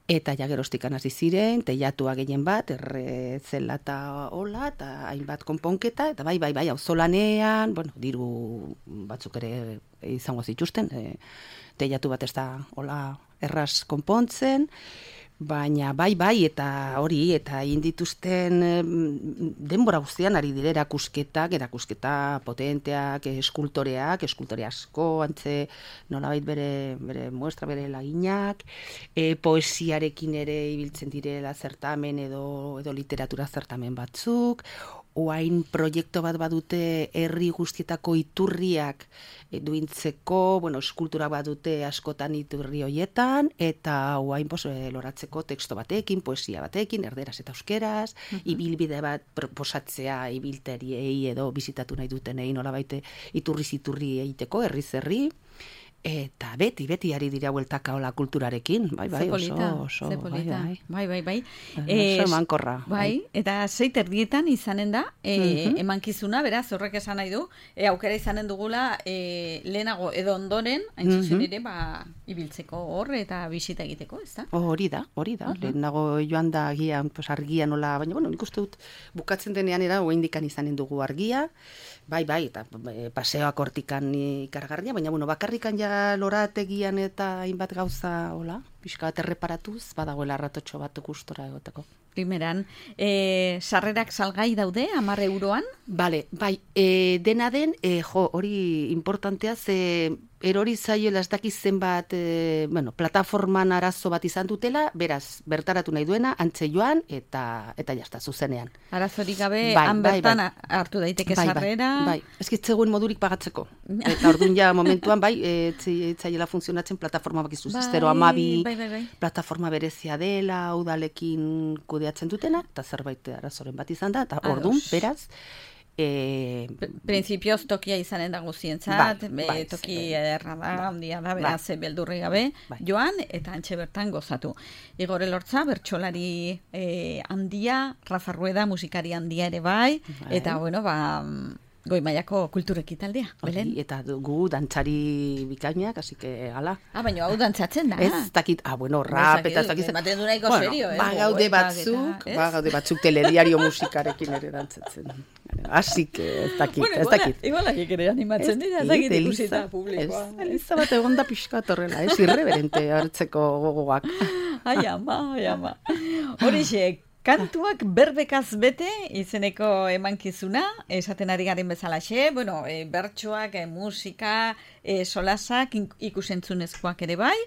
eta jagerostikan hasi ziren, teiatua gehien bat, errezela eta hola, eta hainbat konponketa, eta bai, auzolanean, diru batzuk ere izango zituzten, teiatu bat ez da hola erraz konpontzen, Baina bai, eta hori, eta indituzten denbora guztian ari dire erakusketa potenteak, eskultore asko, antze nolabait bere muestra, bere laginak, poesiarekin ere ibiltzen direla zertamen edo literatura zertamen batzuk, oain proiektu bat badute herri guztietako iturriak duintzeko, eskulturak badute askotan iturri hoietan, eta oain loratzeko teksto batekin, poesia batekin, erderaz eta euskeraz, ibilbide bat proposatzea ibilteriei edo bizitatu nahi dutenei nolabait iturriz iturri egiteko, herriz herri, eta beti ari dira bueltaka hola kulturarekin, bai, oso, bai. Oso emankorra. Bai, eta 6:30 izanen da, emankizuna, beraz, horrek esan nahi du, aukera izanen dugula, lehenago edo ondoren, hain zuzen ere, ibiltzeko hor eta bisita egiteko, ez da? Hori da, lehenago joan da agian, argia nola, baina, nik uste dut, bukatzen denean era, oindikan izanen dugu argia, bai, eta paseoak hortikan ikargarria, baina, bakarrikan ja lorategian eta hainbat gauza, hola, pixka bat erreparatuz, badagoela ratotxo bat gustora egoteko. Primeran, sarrerak salgai daude, 10 euroan? Bai, dena den, hori importantea, erori zaioela ez dakiz zenbat, plataforman arazo bat izan dutela, beraz, bertaratu nahi duena, antze joan, eta jazta, zuzenean. Arazorik gabe, han bertan hartu daiteke sarrera? Bai, ezkitzegoen modurik pagatzeko. Eta orduan ja momentuan, zaiela funtzionatzen plataforma bakizu, 012 plataforma berezia dela, udalekin kudeatzen dutena, eta zerbait arazoren bat izan da, eta orduan, beraz, Printzipioz tokia izanen da guztientzat, toki ederra da, handia da, beraz, beldurri gabe, joan, eta antxe bertan gozatu. Igor Elortza, bertsolari handia, Rafa Rueda, musikari handia ere bai, eta, goi mailako kulturekitaldea, Belen? Eta gu dantzari bikainak, así que, ala. Baina hau dantzatzen da. Ez dakit, rap, eta ez dakit. Ematen du nahiko serio, Gaude batzuk telediario musikarekin ere dantzatzen. Así que, ez dakit. Igualak ere animatzen dira, ez dakit ikusita publikoa. Eliza bat egon da pixka torrela, irreverente hartzeko gogoak. Ai ama. Horixe, kantuak berbekaz bete izeneko emankizuna, esaten ari garen bezalaxe, bertsoak, musika, solasak, ikusentzunezkoak ere bai,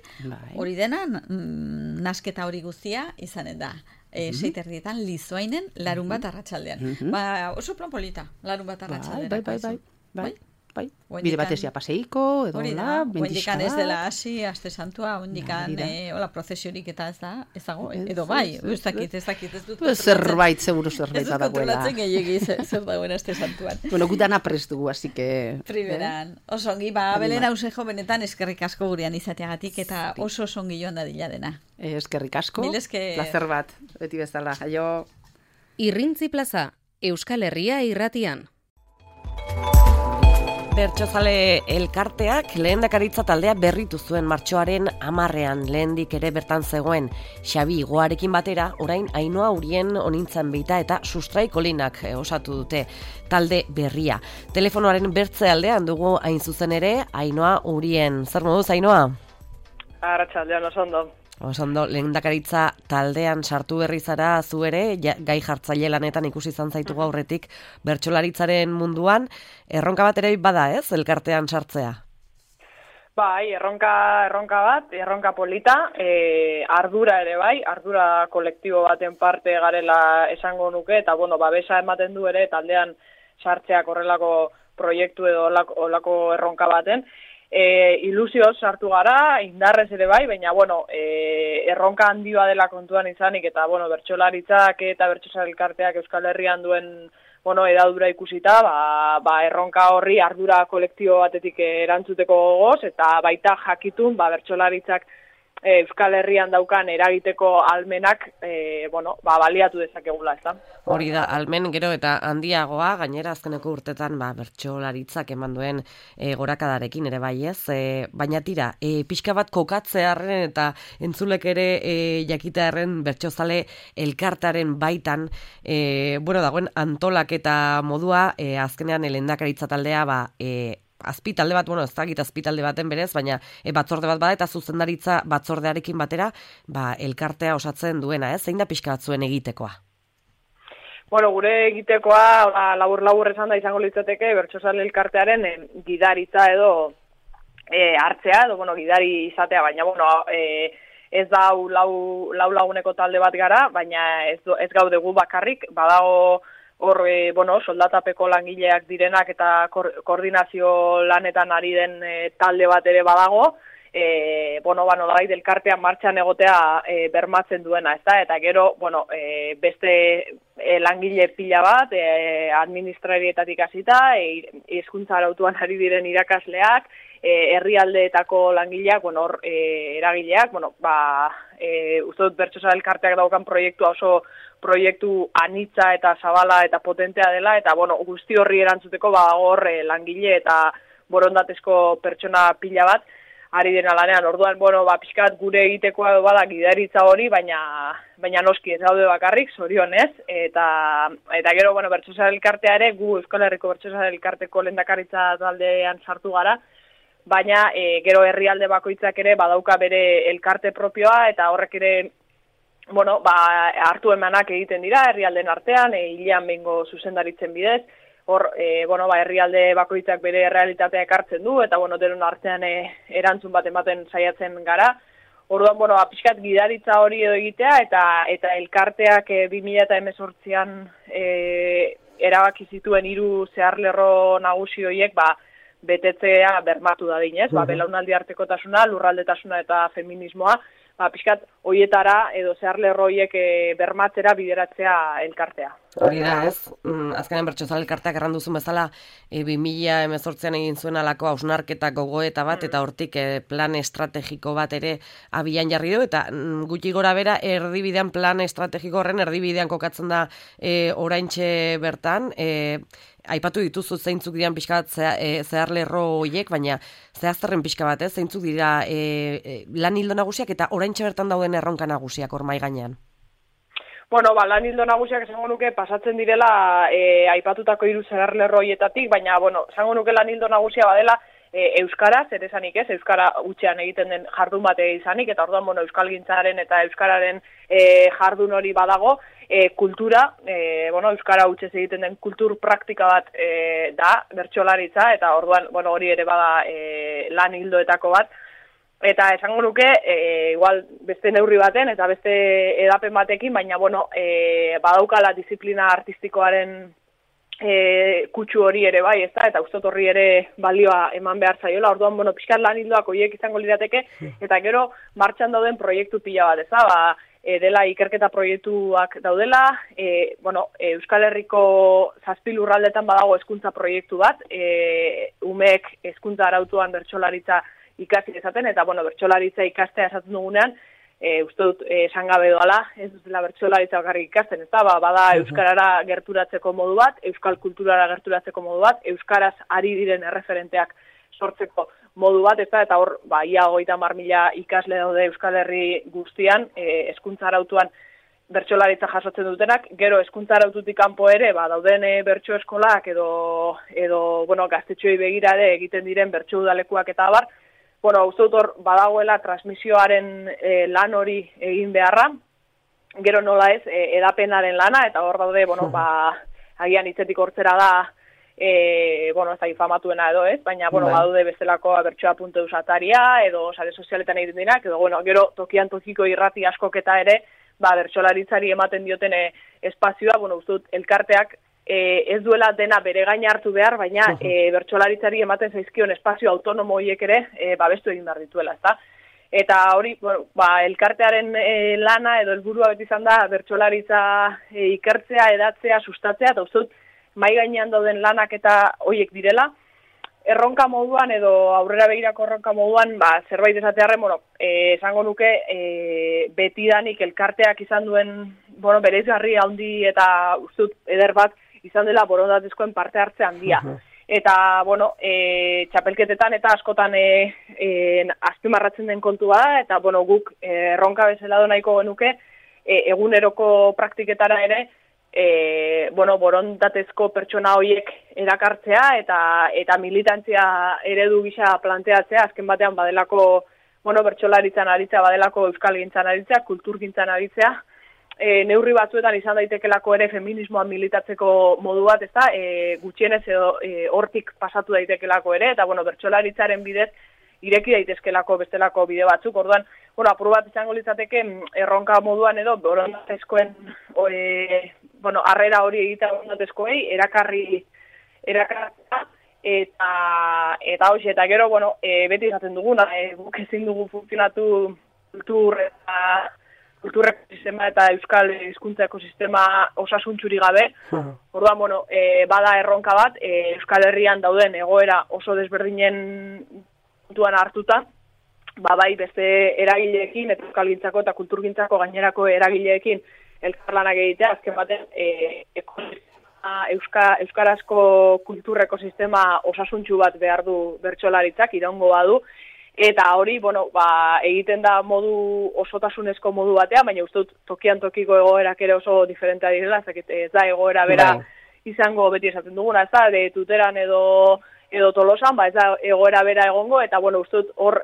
hori dena, nasketa hori guztia izanen da. 6:30 Lizoainen larun bat arratsaldean. Oso plan polita, larun bat arratsaldean. Bai. Bide batezia paseiko, edo hola, bendiska ez dela hasi, aste santua, ondikan, prozesiorik eta ez dago, edo bai, ez dakit, ez dut. Zerbait badagoela. Ez dut kontrolatzen gehiagi zer dagoen aste santuan. Gutana prest dugu, así que... Primeran, oso ongi, Belen Ausejo benetan eskerrik asko gurean izateagatik, eta oso ongi joan dadila dena. Eskerrik asko, placer bat, beti bezala, jaio. Irrintzi Plaza, Euskal Herria irratian. Bertsozale elkarteak lehendakaritza taldea berritu zuen martxoaren 10ean, lehendik ere bertan zegoen Xabi Igoarekin batera, orain Ainhoa Urien onintzan beita eta Sustraikolinak osatu dute talde berria. Telefonoaren bertze aldean dugu hain zuzen ere, Ainhoa Urien. Zer moduz, Ainhoa? Arratsaldean, oso ondo, lehendakaritza taldean sartu berri zara zu ere, gai jartzaile lanetan ikusi izan zaitugu aurretik bertsolaritzaren munduan, erronka bat ere bada, ez, elkartean sartzea? Bai, erronka polita, ardura ere bai, ardura kolektibo baten parte garela esango nuke, eta babesa ematen du ere taldean sartzeak horrelako proiektu edo horrelako erronka baten. Ilusioz sartu gara, indarrez ere bai, baina, erronka handioa dela kontuan izanik, eta, bertsolaritzak eta bertsolari elkarteak Euskal Herrian duen, edadura ikusita, erronka horri ardura kolektibo batetik erantzuteko gogoz, eta baita jakitun, bertsolaritzak Euskal Herrian daukan eragiteko almenak, baliatu dezakegula, ez da? Hori da, almen gero eta handiagoa, gainera azkeneko urtetan bertsolaritzak eman duen gorakadarekin ere bai ez, baina tira, pixka bat kokatzearen eta entzulek ere jakitearen bertsozale elkartaren baitan, dagoen antolak eta modua, azkenean lehendakaritza taldea azpitalde bat, ez dakit azpitalde baten berez, baina batzorde bat bada eta zuzendaritza batzordearekin batera, elkartea osatzen duena, zein da pixka batzuen egitekoa? Bueno, gure egitekoa, labur esan da izango litzateke, bertsozale elkartearen gidaritza edo hartzea, edo, gidari izatea, baina, ez da lau laguneko talde bat gara, baina ez gaude gu bakarrik, badago hor, soldatapeko langileak direnak eta koordinazio lanetan ari den talde bat ere badago, nolabait elkartean martxan egotea bermatzen duena, ezta? Eta gero, beste langile pila bat, administrarietatik hasita, hizkuntza arautuan ari diren irakasleak, herrialdeetako langileak, hor eragileak, uste dut bertsozale elkarteak daukan proiektua oso proiektu anitza eta zabala eta potentea dela, eta guzti horri erantzuteko hor langile eta borondatezko pertsona pila bat ari dena lanean. Orduan, pixkat gure egitekoa bada gidaritza hori, baina noski ez daude bakarrik, zorionez, eta gero, bertsozale elkartea ere, gu Euskal Herriko bertsozale elkarteko lehendakaritza taldean sartu gara, baina gero herrialde bakoitzak ere badauka bere elkarte propioa, eta horrek ere hartu emanak egiten dira herrialden artean, hilean behingo zuzendaritzen bidez, hor, herrialde bakoitzak bere realitatea ekartzen du, eta, denon artean erantzun bat ematen saiatzen gara. Orduan, pixkat gidaritza hori edo egitea, eta elkarteak 2018an erabaki zituen 3 zeharlerro nagusi horiek, betetzea bermatu dadinez, belaunaldi artekotasuna, lurraldetasuna eta feminismoa, pixkat hoietara edo zeharlerro horiek bermatzera bideratzea elkartea. Hori da, ez? Azkenean bertsozale elkarteak erran duzun bezala 2018an egin zuen alako hausnarketa gogoeta bat, eta hortik plan estrategiko bat ere abian jarri du, eta gutxi gora bera erdibidean plan estrategiko horren erdibidean kokatzen da oraintxe bertan, aipatu dituzu zeintzuk diren pixka bat zeharlerro horiek, baina zehazterren pixka bat, zeintzuk dira lan ildo nagusiak eta oraintxe bertan dauden erronka nagusiak hor mahai gainean? Lan ildo nagusiak esango nuke pasatzen direla aipatutako 3 zeharlerro horietatik, baina, esango nuke lan ildo nagusia badela euskaraz, ere esanik ez, euskara hutsean egiten den jardun bat izanik, eta orduan, euskalgintzaren eta euskararen jardun hori badago, kultura, euskara hutsez egiten den kultur praktika bat da, bertsolaritza, eta orduan, hori ere bada lan ildoetako bat, eta esango nuke, igual beste neurri baten eta beste edapen batekin, baina, badaukala disiplina artistikoaren kutsu hori ere bai, ezta, eta uste horri ere balioa eman behar zaiola. Orduan, pixkat lan hildoak horiek izango lirateke, eta gero martxan dauden proiektu pila bat, ezta, dela ikerketa proiektuak daudela, Euskal Herriko 7 lurraldetan badago hezkuntza proiektu bat, umeek hezkuntza arautuan bertsolaritza ikasi dezaten, eta bertsolaritza ikastea esaten dugunean, uste dut esan gabe doala, ez dutela bertsolaritza bakarrik ikasten, eta bada euskarara gerturatzeko modu bat, euskal kulturara gerturatzeko modu bat, euskaraz ari diren erreferenteak sortzeko modu bat, eta hor, ia 30.000 ikasle daude Euskal Herri guztian, hezkuntza arautuan bertsolaritza jasotzen dutenak, gero hezkuntza araututik kanpo ere, dauden bertso eskolak edo gaztetxoei begira ere egiten diren bertso udalekuak eta abar, uste dut hor badagoela transmisioaren lan hori egin beharra, gero nola ez, edapenaren lana, eta hor daude, agian hitzetik hortzera da, ez da infamatuena edo ez, baina, badaude bestelako bertsoa.eus ataria, edo sare sozialetan egiten dinak, edo, gero tokian tokiko irrati askok eta ere, bertsolaritzari ematen dioten espazioa, uste dut elkarteak ez duela dena bere gain hartu behar, baina bertsolaritzari ematen zaizkion espazio autonomo horiek ere babestu egin behar dituela, ezta? Eta hori, elkartearen lana edo helburua beti izan da bertsolaritza ikertzea, edatzea, sustatzea, eta uste dut mai gainean dauden lanak eta horiek direla, erronka moduan edo aurrera begirako erronka moduan, zerbait esatearren, esango nuke betidanik elkarteak izan duen, bereizgarri handi eta uste dut eder bat izan dela borondatezkoen parte hartze handia. Eta, txapelketetan eta askotan azpimarratzen den kontu bada, eta, guk erronka bezala do nahiko genuke, eguneroko praktiketara ere, borondatezko pertsona horiek erakartzea eta militantzia eredu gisa planteatzea, azken batean badelako, bertsolaritzan aritzea, badelako euskalgintzan aritzea, kulturgintzan aritzea, neurri batzuetan izan daitekelako ere feminismoa militatzeko modu bat, ezta, gutxienez edo hortik pasatu daitekelako ere, eta bertsolaritzaren bidez ireki daitezkelako bestelako bide batzuk, orduan, apur bat izango litzateke erronka moduan edo borondatezkoen harrera hori egitea borondatezkoei erakartzea, eta hoxe, eta gero, beti izaten duguna, guk ezin dugu funtzionatu kulturreko sistema eta euskal hizkuntza ekosistema osasuntxuri gabe. Orduan, bada erronka bat, Euskal Herrian dauden egoera oso desberdinen puntuan hartuta, bai beste eragileekin, eta euskalgintzako eta kulturgintzako gainerako eragileekin elkarlanak egitea, azken baten euskarazko kultur ekosistema osasuntxu bat behar du bertsolaritzak, iraungo badu, eta hori, egiten da modu osotasunezko modu batean, baina uste dut tokian tokiko egoerak ere oso diferentea direla, ez da egoera bera izango beti esaten duguna, ez da, Tuteran edo Tolosan, ez da egoera bera egongo, eta uste dut hor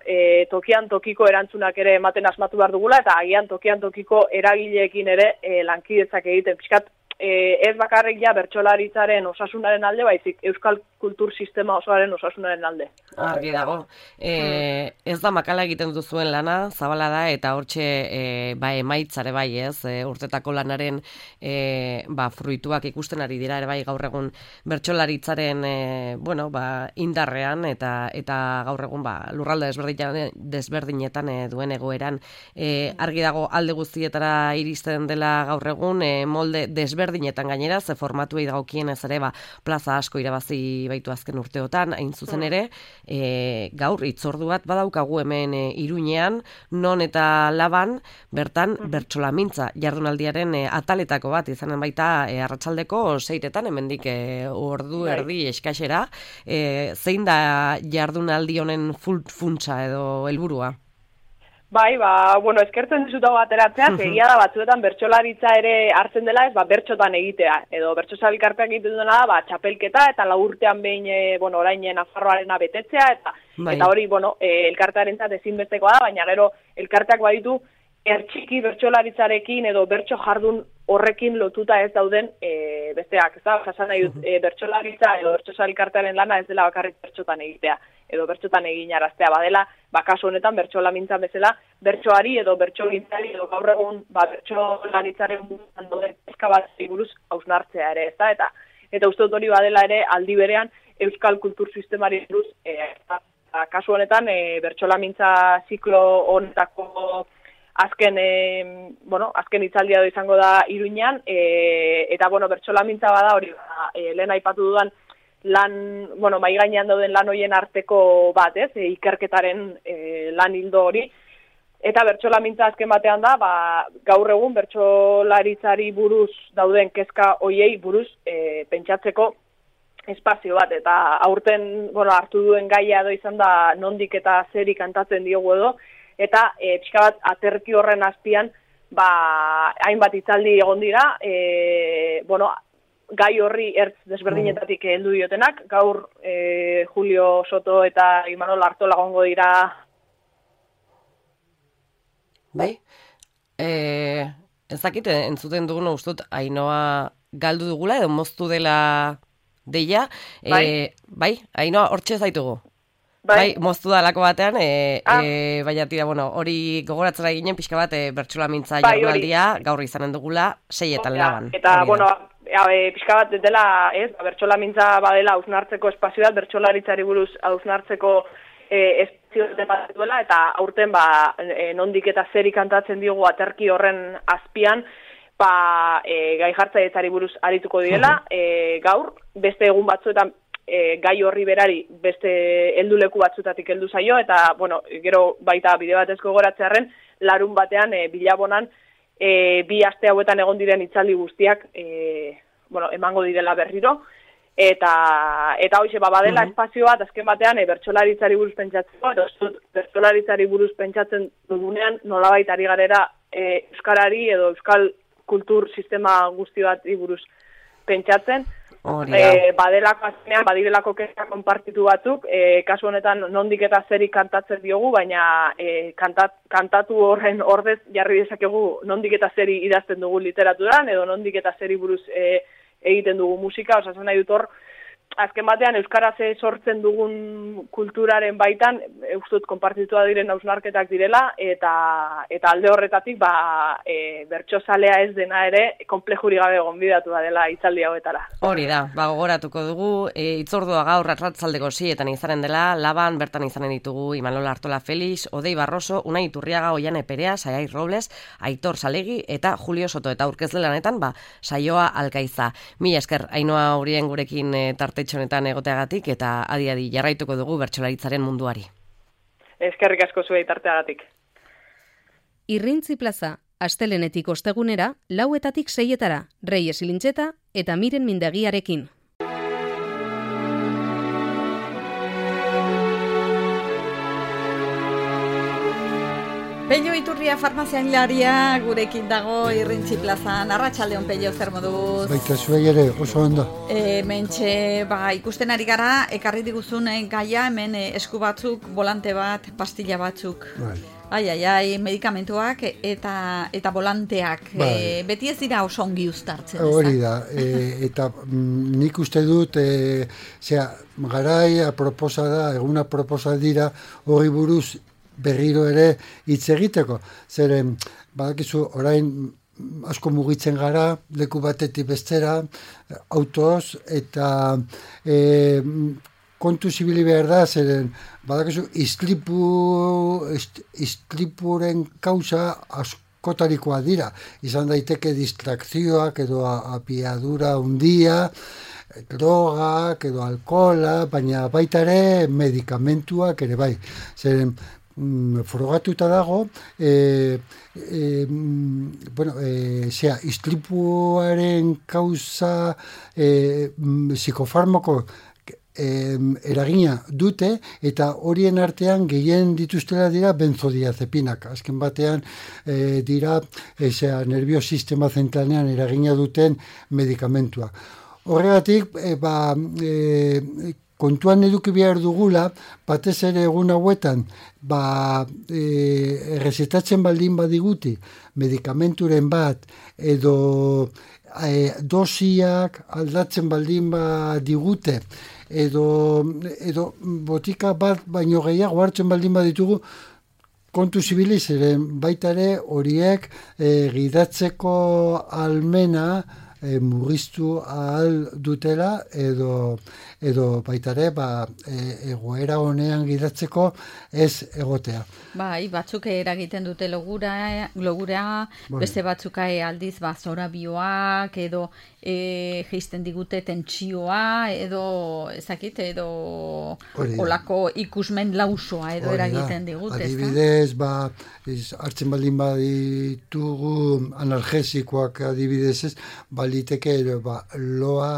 tokian tokiko erantzunak ere ematen asmatu behar dugula, eta agian tokian tokiko eragileekin ere lankidetzak egiten pixkat, ez bakarrik ja bertsolaritzaren osasunaren alde, baizik euskal kultur sistema osoaren osasunaren alde. Argi dago. Ez da makala egiten duzuen lana, zabala da, eta hortxe emaitzare bai ez, urtetako lanaren fruituak ikusten ari dira, ere bai gaur egun bertsolaritzaren indarrean, eta gaur egun lurralde desberdinetan duen egoeran. Argi dago alde guztietara iristen dela gaur egun, molde desberdinetan gainera, ze formatuei dagokienez ere plaza asko irabazi baitu azken urteotan, hain zuzen ere, gaur hitzordu bat badaukagu hemen Iruñean, non eta Laban, bertan bertsolamintza jardunaldiaren ataletako bat, izanen baita arratsaldeko 6etan, hemendik ordu erdi eskaxera, zein da jardunaldi honen funtsa edo helburua? Bai, eskertzen dizutago ateratzea, egia da batzuetan bertsolaritza ere hartzen dela, ez bertxotan egitea, edo bertsosabilkarteak egiten duena da, txapelketa eta 4 urtean behin, orain Nafarroarena betetzea, eta hori, elkartearentzat ezinbestekoa da, baina gero elkarteak baditu ertxiki bertsolaritzarekin edo bertso jardun horrekin lotuta ez dauden besteak, ez da, jasan nahi dut, bertsolaritza edo bertsosabilkartearen lana ez dela bakarrik bertxotan egitea, edo bertxotan eginaraztea badela, kasu honetan bertsolamintzan bezala, bertsoari edo bertsogintzari edo gaur egun bertsolaritzaren munduan dauden kezka bat buruz hausnartzea ere, ezta? Eta uste dut hori badela ere aldi berean euskal kultur sistemari buruz, kasu honetan bertsolamintza ziklo honetako azken hitzaldia izango da Iruñean, eta bertsolamintza bada hori, lehen aipatu dudan mai gainean dauden lan horien arteko bat, ikerketaren lan hildo hori, eta bertsolamintza azken batean da, gaur egun bertsolaritzari buruz dauden kezka hoiei buruz pentsatzeko espazio bat, eta aurten hartu duen gaia edo izan da nondik eta zeri kantatzen diogu edo, eta pixka bat aterki horren azpian hainbat hitzaldi egon dira, gai horri ertz desberdinetatik heldu diotenak, gaur Julio Soto eta Imanol Artola egongo dira. Bai, ez dakit entzuten duguna ustut Ainoa galdu dugula edo moztu dela deia, bai, Ainoa hortxe zaitugu. Bai, moztu da lako batean, baina tira, hori gogoratzera ginen pixka bat bertsolamintza jardunaldia gaur izanen dugula 6etan Laban. Eta, pixka bat dela, bertsolamintza badela hausnartzeko espazioa, bertsolaritzari buruz hausnartzeko espazio bat duela, eta aurten nondik eta zeri kantatzen diogu aterki horren azpian, gai jartzailetzari buruz arituko direla, gaur, beste egun batzuetan gai horri berari beste helduleku batzutatik heldu zaio, eta, gero baita bide batez gogoratzearren, larun batean, Bilabonan, 2 aste hauetan egon diren hitzaldi guztiak, emango direla berriro, eta hoxe, badela espazio bat, azken batean, bertsolaritzari buruz pentsatzeko, edo bertsolaritzari buruz pentsatzen dugunean, nolabait ari garera euskarari edo euskal kultur sistema guzti bat buruz pentsatzen. Badelako azkenean, badirelako kezka konpartitu batzuk, kasu honetan nondik eta zeri kantatzen diogu, baina kantatu horren ordez jarri dezakegu nondik eta zeri idazten dugu literaturan, edo nondik eta zeri buruz egiten dugu musika, osasun nahi dut hor, azken batean euskaraz sortzen dugun kulturaren baitan, ustut konpartitua diren hausnarketak direla, eta alde horretatik bertsozalea ez dena ere konplejuri gabe gonbidatu dela hitzaldi hauetara. Hori da, gogoratuko dugu, hitzordua gaur arratsaldeko 6etan izanen dela, Laban bertan izanen ditugu Imanol Artola Felix, Odei Barroso, Unai Iturriaga, Oiane Perea, Saiai Robles, Aitor Salegi eta Julio Soto, eta aurkezle lanetan saioa Alkaiza. Mila esker, Ainhoa Urien gurekin tartetxonetan egoteagatik, eta adi jarraituko dugu bertsolaritzaren munduari. Eskerrik asko zuei tarteagatik. Irrintzi plaza, astelenetik ostegunera, 4:00 6:00, Reyes Ilintxeta eta Miren Mindegiarekin. Pello Iturria farmaziailaria gurekin dago Irrintzi plazan. Arratsaldeon Pello, zer moduz? Baita zuei ere, oso ondo. Mentxe, ikusten ari gara, ekarri diguzun gaia, hemen esku batzuk, volante bat, pastilla batzuk. Ai, medikamentuak eta volanteak. Beti ez dira oso ongi uztartzen. Hori da, eta nik uste dut, garai aproposa da, eguna aproposa dira, hori buruz berriro ere hitz egiteko. Zeren, badakizu, orain asko mugitzen gara, leku batetik bestera, autoz, eta kontu zibili behar da, zeren, badakizu, istripuren kausa askotarikoa dira. Izan daiteke distrakzioak edo apiadura hundia, drogak edo alkohola, baina baita ere medikamentuak ere bai. Zeren, frogatuta dago, istripuaren kausa psikofarmako eragina dute, eta horien artean gehien dituztela dira benzodiazepinak. Azken batean dira nervio sistema zentralean eragina duten medikamentua. Horregatik, kontuan eduki behar dugula, batez ere egun hauetan, errezetatzen baldin badiguti, medikamenturen bat, edo dosiak aldatzen baldin badigute, edo botika bat baino gehiago hartzen baldin baditugu, kontu zibili zeren baita ere horiek gidatzeko almena murriztu ahal dutela, edo baita ere egoera honean gidatzeko ez egotea. Batzuk eragiten dute logura, beste batzuk aldiz zorabioak, edo geisten digute tentsioa, edo ezakit, edo olako ikusmen lausoa edo eragiten digute. Adibidez, hartzen baldin baditugu analgesikoak adibidez ez, baliteke loa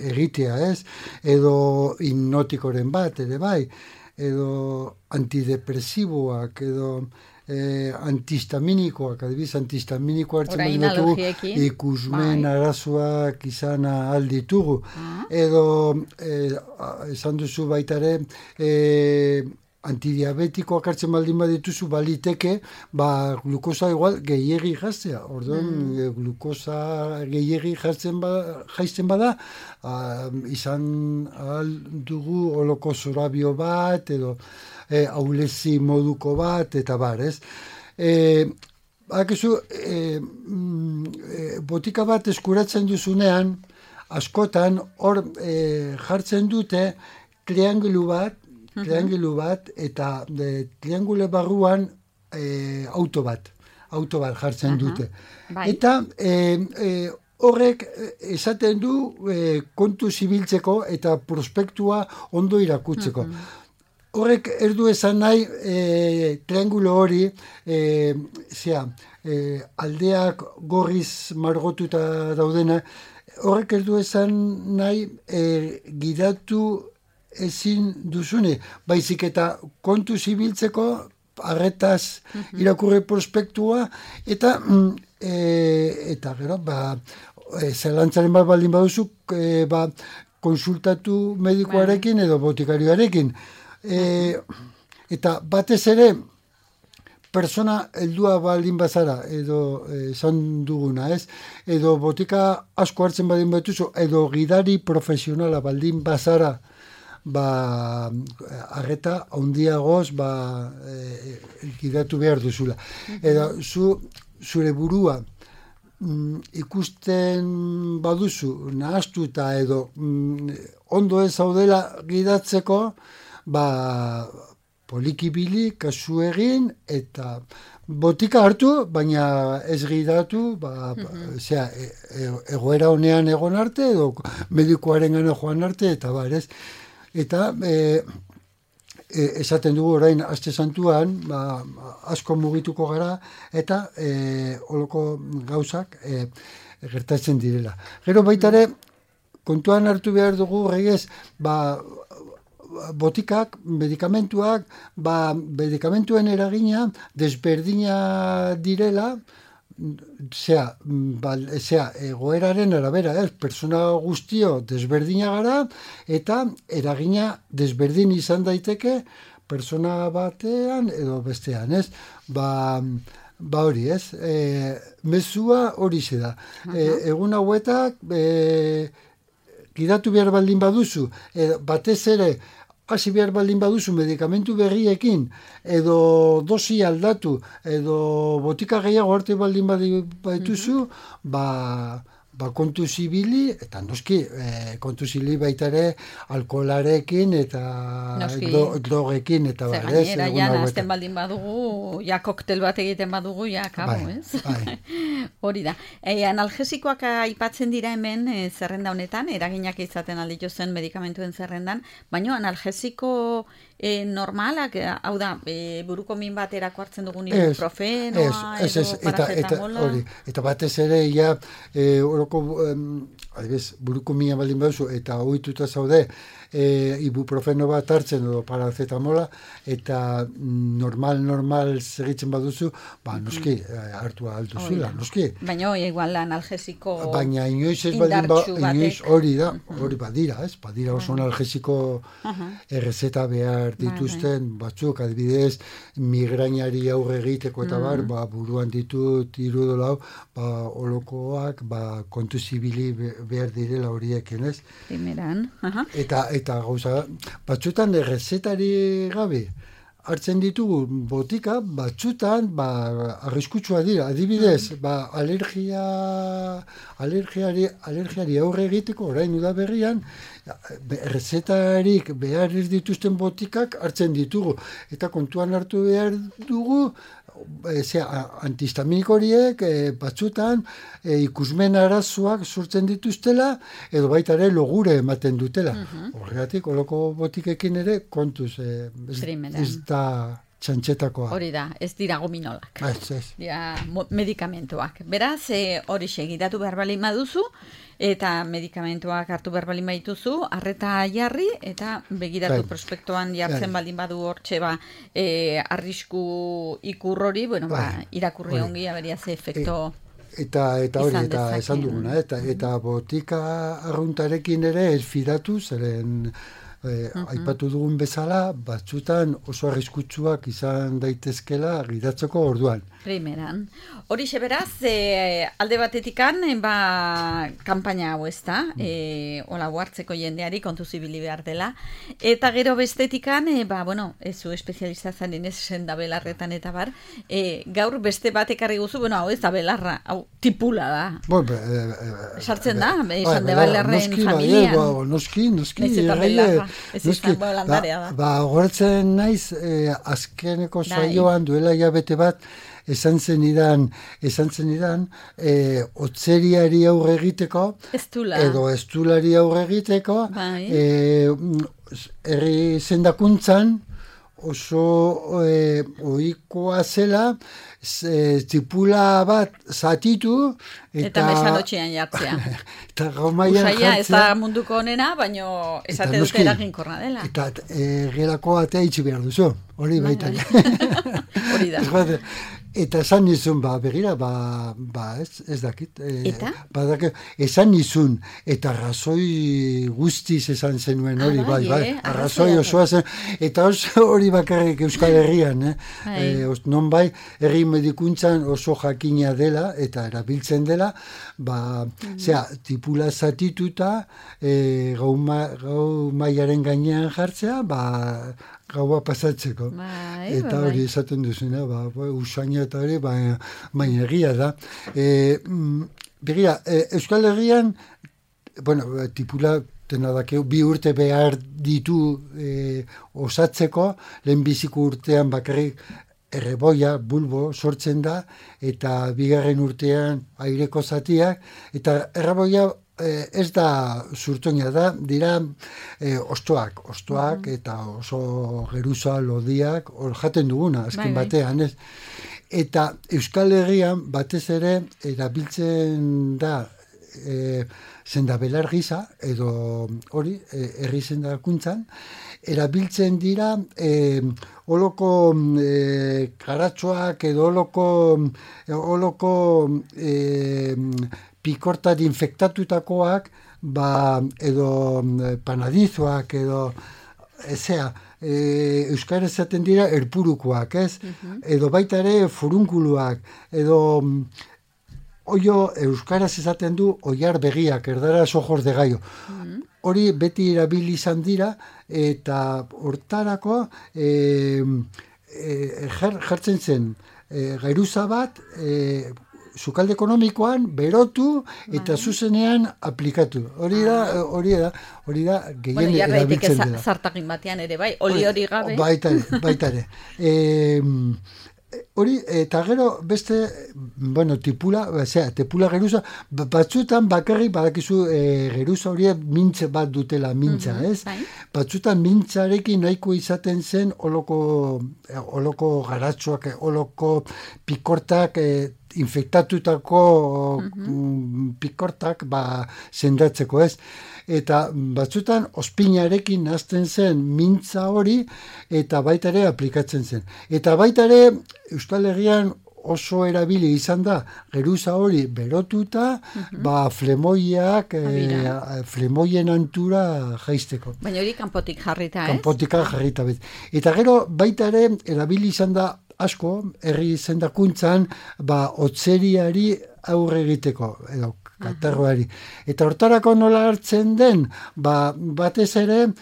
egitea ez, edo hipnotikoren bat ere bai, edo antidepresiboak, edo antihistaminikoak, adibidez antihistaminikoa hartzen baditugu ikusmen arazoak izan ahal ditugu, edo esan duzu baita ere antidiabetikoak hartzen baldin badituzu baliteke, glukosa igual gehiegi jaztea. Orduan, glukosa gehiegi jaizten bada, izan ahal dugu oloko zorabio bat, edo ahulezi moduko bat, eta bar, ez? Botika bat eskuratzen duzunean, askotan, hor jartzen dute triangulu bat, eta triangule barruan auto bat jartzen dute. Eta horrek esaten du kontu zibiltzeko eta prospektua ondo irakutzeko. Horrek erdu esan nahi triangulo hori aldeak gorriz margotuta daudena, horrek erdu esan nahi gidatu ezin duzune, baizik eta kontu zibiltzeko arretaz irakurre prospektua, eta eta gero, zelantzaren bat baldin baduzu, konsultatu medikoarekin edo botikarioarekin. Eta batez ere, persona heldua baldin bazara, edo esan duguna, ez? Edo botika asko hartzen baldin batuzu, edo gidari profesionala baldin bazara, arreta handiagoz gidatu behar duzula. Edo zure burua ikusten baduzu, nahaztuta edo ondo ez zaudela gidatzeko, polikibili, kasu egin, eta botika hartu, baina ez gidatu, egoera honean egon arte, edo medikoaren gana joan arte, eta ez. Eta esaten dugu orain aste santuan, asko mugituko gara, eta holoko gauzak gertatzen direla. Gero baitare, kontuan hartu behar dugu, regez, botikak, medikamentuak, medikamentuen eragina desberdina direla, egoeraren arabera, persona guztio desberdina gara, eta eragina desberdin izan daiteke persona batean edo bestean, ez? Hori, ez? Mezua hori da. Egun hauetak, gidatu behar baldin baduzu, batez ere, hasi behar baldin baduzu medikamentu berriekin, edo dosi aldatu, edo botika gehiago arte baldin badituzu, kontu zibili, eta noski, kontu zibili baita ere alkoholarekin eta drogekin, eta gainera, nazten baldin badugu, koktel bat egiten badugu, kabo, ez? Hori da. Analgesikoak aipatzen dira hemen zerrenda honetan, eraginak izaten aldituzen medikamentuen zerrendan, baina analgesiko normalak, hau da, buruko min baterako hartzen dugun ibuprofenoa, edo paracetamola. Eta batez ere, buruko mina baldin baduzu, eta ohituta zaude, ibuprofeno bat hartzen edo paracetamola, eta normal segitzen baduzu, noski, hartu alduzula, noski. Baina igual analgesiko baina inoiz ez baldin hori badira, ez? Badira oso analgesiko errezeta behar dituzten batzuk, adibidez, migrainari aurre egiteko eta buruan ditut irudolau, holokoak, kontu zibili behar direla horiekin, ez? Primeran, Eta gauza, batzutan errezetari gabe hartzen ditugu botika, batzutan arriskutsua dira. Adibidez, alergiari aurre egiteko, orain udaberrian, errezetarik behar ez dituzten botikak hartzen ditugu. Eta kontuan hartu behar dugu, antihistaminiko horiek batzutan ikusmen arazoak sortzen dituztela edo baita ere logure ematen dutela. Horregatik, holoko botikekin ere kontuz ez da txantxetakoa. Hori da, ez dira gominolak. Medikamentuak. Beraz, hori segidatu behar balin baduzu, eta medikamentuak hartu behar balin badituzu, arreta jarri, eta begiratu prospektoan jartzen baldin badu hortxe arrisku ikur hori, irakurri ongi, aberia ze efekto eta hori, eta esan duguna, eta botika arruntarekin ere ez fidatu, zeren aipatu dugun bezala, batzutan oso arriskutsuak izan daitezkela gidatzeko orduan. Primeran. Horixe beraz, alde batetikan, kanpaina hau ez da, hola hartzeko jendeari kontu zibili behar dela, eta gero bestetikan, ez zu espezialista zaren ez senda belarretan eta bar, gaur beste batekarri guzu, hau ez da belarra, hau tipula da. Sartzen da, esan de belarren familian. Noski, ez eta belarra, ez izan landarea da. Goratzen naiz, azkeneko saioan duela hilabete bat, esan zenidan, otzeriari aurre egiteko, edo estulari aurre egiteko, herri zendakuntzan oso ohikoa zela, tipula bat zatitu, eta mesanotxean jartzea. Eta gaumaian jartzea. Ez da munduko honena, baina esate dute eraginkorra dela. Eta gerako atea itxi behar duzu, hori baita. Hori da. Eta esan nizun, begira, ez dakit. Eta? Esan nizun, eta arrazoi guztiz esan zenuen hori, bai. Arrazoi osoa zen, eta hori bakarrik Euskal Herrian, non bai, herri medikuntzan oso jakina dela, eta erabiltzen dela, tipula zatituta, gau mailaren gainean jartzea, gaua pasatzeko. Eta hori esaten duzuna, usaina eta hori, baina egia da. Begira, Euskal Herrian, tipula tenadakeu, 2 urte behar ditu osatzeko, lehenbiziko urtean bakarrik erreboia, bulbo, sortzen da, eta 2. urtean aireko zatiak, eta erreboia ez da zurtoina da, dira ostoak, eta oso geruza, lodiak, hor jaten duguna, azken batean, ez? Eta Euskal Herrian batez ere erabiltzen da zendabelar gisa, edo hori, herri zendakuntzan, erabiltzen dira holoko karatxoak edo holoko pikortat infektatutakoak, edo panadizoak, edo euskara esaten dira erpurukoak, ez? Edo baita ere furunkuluak, edo euskaraz esaten du oiar begiak, erdaraz ojos de gallo. Hori beti erabili izan dira, eta hortarako jartzen zen geruza bat, sukalde ekonomikoan, berotu, eta zuzenean aplikatu. Hori da, gehien erabiltzen dela. Zartakin batean ere, bai, hori gabe. Baita ere. Hori, eta gero beste, tipula geruza, batzutan bakarrik badakizu geruza hori mintze bat dutela, mintza, ez? Batzutan mintzarekin nahiko izaten zen holoko garatxoak, holoko pikortak, infektatutako pikortak sendatzeko, ez? Eta batzutan ospinarekin nazten zen mintza hori, eta baita ere aplikatzen zen. Eta baita ere Euskal Herrian oso erabili izan da geruza hori berotuta, flemoiak, flemoien antura jaisteko. Baina hori kanpotik jarrita, ez? Kanpotik jarrita, bez. Eta gero baita ere erabili izan da asko, herri zendakuntzan, otzeriari aurre egiteko, edo katarroari. Eta hortarako nola hartzen den, batez ere,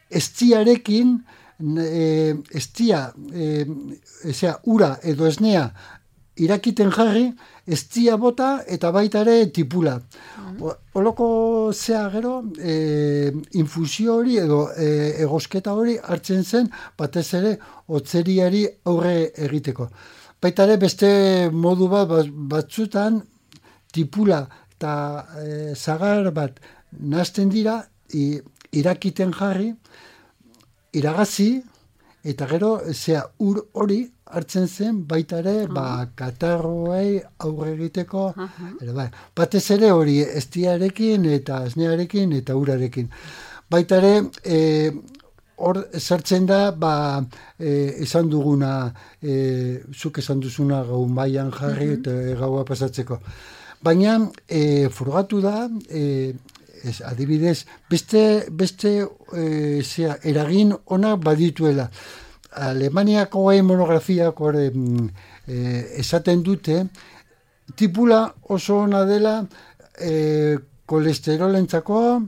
estiarekin, ura edo esnea irakiten jarri, estia bota eta baita ere tipula. Holoko gero, infusio hori edo egosketa hori hartzen zen, batez ere otzeriari aurre egiteko. Baita ere beste modu batzutan tipula eta zagar bat nazten dira, irakiten jarri, iragazi, eta gero ur hori hartzen zen baita ere katarroei aurre egiteko, batez ere hori estiarekin eta esnearekin eta urarekin. Baita ere hor sartzen da esan duguna, zuk esan duzuna gau mailan jarri eta gaua pasatzeko. Baina frogatu da, adibidez, beste eragin onak badituela. Alemaniako monografiak esaten dute, tipula oso ona dela kolesterolentzako,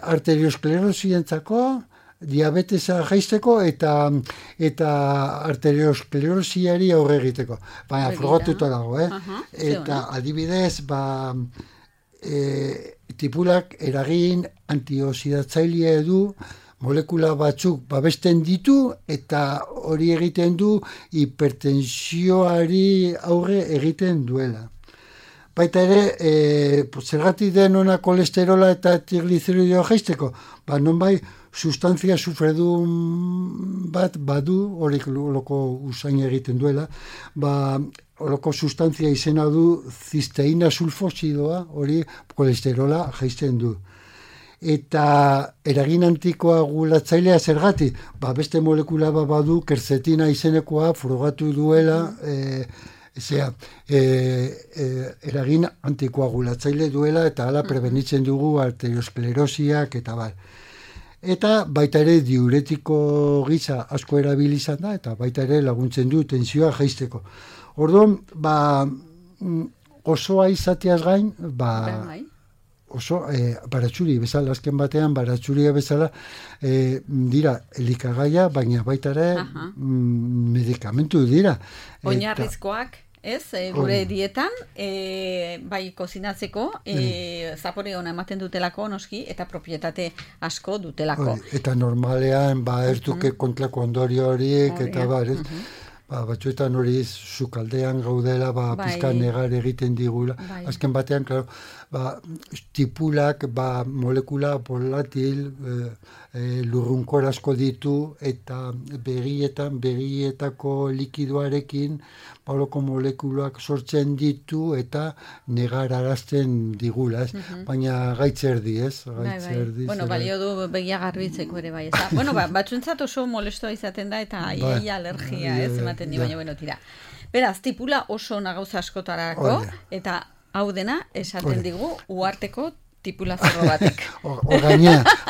arteriosklerosientzako, diabetesa jaisteko eta arteriosklerosiari aurre egiteko. Baina frogatuta dago, Eta adibidez, tipulak eragin antioxidatzailea du, molekula batzuk babesten ditu eta hori egiten du hipertensioari aurre egiten duela. Baita ere, zergatik den ona kolesterola eta trigliceridoa jaisteko, nonbai sustantzia sufredun bat badu, horik loko usain egiten duela, horoko sustantzia izena du zisteina sulfosidoa, hori kolesterola jaisten du. eta eragin antikoagulatzailea zergatik, beste molekula badu kerzetina izenekoa frogatu duela, eragin antikoagulatzaile duela eta hala prebenitzen dugu arteriosklerosiak eta bar. Eta baita ere diuretiko gisa asko erabili izan da, eta baita ere laguntzen du tensioa jaisteko. Orduan, osoa izateaz gain, oso baratxuri bezala, azken batean baratxuria bezala dira elikagaia, baina baita ere medikamentu dira. Oinarrizkoak, gure dietan, bai kozinatzeko, zapore ona ematen dutelako noski, eta propietate asko dutelako. Eta normalean, ertuke kontlako ondorio horiek, eta batzuetan hori sukaldean gaudela, pizka negar egiten digula. Azken batean, klaro, tipulak, molekula volatil, lurrunkor asko ditu, eta begietako likidoarekin, baloko molekulak sortzen ditu, eta negar arazten digula, baina gaitzerdi, Bueno, balio du begia garbitzeko ere bai, Bueno, batzuentzat oso molestoa izaten da, eta iaia alergia, ematen di, baina, tira. Beraz, tipula oso nagauza askotarako, eta hau dena esaten digu uharteko tipulazorro batek.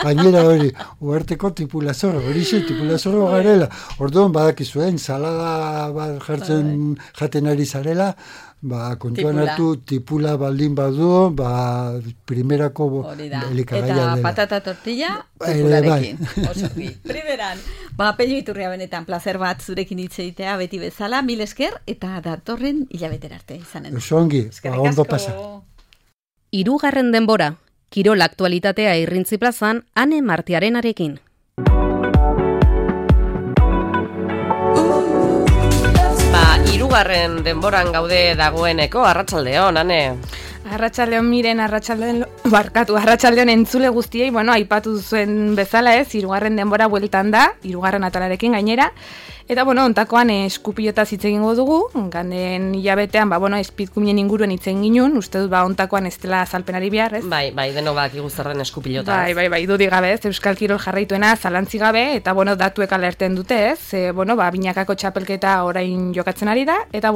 Gainera hori, uharteko tipulazorro, tipulazorro garela. Orduan badakizuen, salada bat jaten ari zarela, kontuan hartu tipula baldin badu, primerako elikagaia dela. Eta patata tortilla tipularekin. Primeran, Pello Iturria benetan placer bat zurekin hitz egitea beti bezala, mil esker, eta datorren hilabetera arte izanen. Osongi, ondo pasa. 3. denbora, kirol aktualitatea Irrintzi plazan, Ane Martiarenarekin. Hirugarren denboran gaude dagoeneko, arratsaldeon, Ane. Arratsaldeon Miren, arratsaldeon entzule guztiei, aipatu zuen bezala 3. denbora bueltan da, 3. atalarekin gainera. Eta, ontakoan eskupilotaz hitz egingo dugu, ganden hilabetean, espitkumien inguruen hitz egin ginuen, uste dut, ontakoan ez dela azalpenari behar, ez? Bai, denok badakigu zer den eskupilota. Bai, dudik gabe, ez, Euskal Kirol jarraituena zalantzi gabe, eta, datuek alerten dute, ez? Binakako txapelketa orain jokatzen ari da, eta,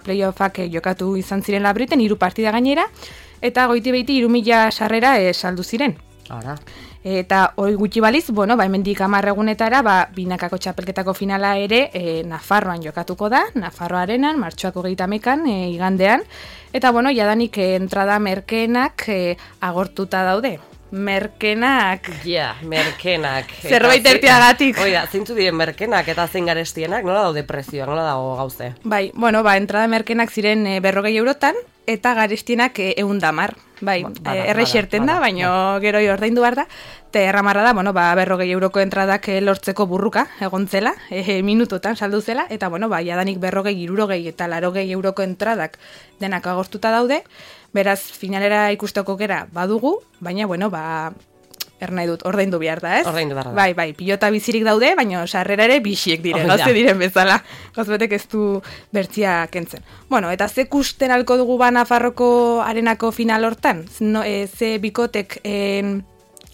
playoffak jokatu izan ziren Labriten, 3 partida gainera, eta goiti behiti 3.000 sarrera saldu ziren. Ara. Eta hori gutxi baliz, hemendik 10 egunetara, binakako txapelketako finala ere Nafarroan jokatuko da, Nafarro Arenan, martxoak 31 igandean, eta jadanik entrada merkeenak agortuta daude. Merkenak. Merkenak. Zerbait ertiagatik. Oida, zeintzu diren merkenak eta zein garestienak, nola daude prezioak, nola dago gauze? Bai, entrada merkenak ziren 40 eurotan, eta garestienak 110. Bai, errexerten da, baina gero ordaindu behar da. Eta erramarra da, 40 euroko entradak lortzeko burruka egon zela, minutotan saldu zela, eta jadanik 40, 60 eta 80 euroko entradak denak agortuta daude. Beraz, finalera ikusteko gera badugu, baina, ernai dut, ordaindu behar da, ez? Ordaindu behar da. Bai, pilota bizirik daude, baina sarrera ere bisiek dire, gauze diren bezala. Gauzebetek ez du bertzia kentzen. Eta ze kusten alko dugu Nafarroko arenako final hortan? Ze bikotek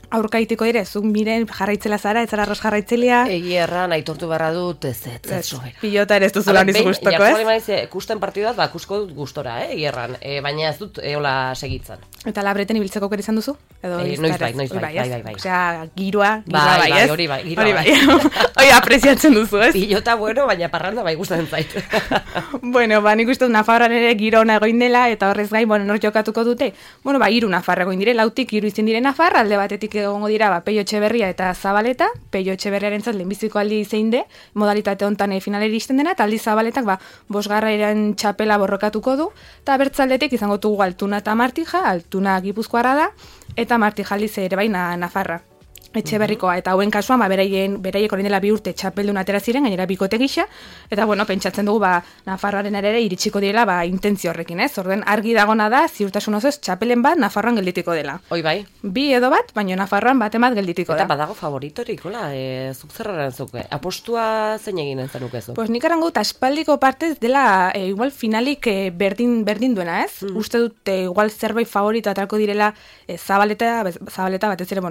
aurkaiteko dire, zuk Miren jarraitzela zara, ez zara arroz jarraitzelea? Erran, aitortu barra dut, ez soera. Pilota ere ez duzula niz guztoko, ez? Jarri kusten partiduat, kusko dut gustora, Erran, baina ez dut eola segitzen. Eta Labreten ibiltzeko kera izan duzu? Noiz bai. Osea, giroa bai, ez? Hori bai. Hori apreziatzen duzu, ez? Pilota baina parranda bai gustatzen zait. Nik uste dut Nafarroan ere giro ona egoin dela, eta horrez gain, nor jokatuko dute? 3 Nafar egoin dire, 3 izan dire Nafar, alde batetik egongo dira Pello Etxeberria eta Zabaleta, Pello Etxeberriarentzat lehenbiziko aldi zein de, modalitate hontan finaleri iristen dena, eta aldi Zabaletak 5. txapela borrokatuko du, eta bertzaldetik izango dugu Altuna eta Martija, Altuna Gipuzkoarra da, eta Martija aldiz ere baina Nafarra. etxe berrikoa, eta hauen kasuan, beraiek orain dela 2 urte txapeldun atera ziren, gainera bikote gisa, eta bueno, pentsatzen dugu, Nafarroaren ere iritsiko direla, intentzio horrekin, ez? Orden argi dagona da, ziurtasun osoz, txapelen bat Nafarroan gelditiko dela. Hoi bai. 2 edo bat, baina Nafarroan bat gelditiko da. Eta badago favoritorik, hola, zuk zerraren zuke, apostua zein egin entzenukezu? Pues nik arango aspaldiko partez dela, igual finalik berdin duena, ez? Uste dut, igual zerbait favorito atalko direla zabaleta batez ere,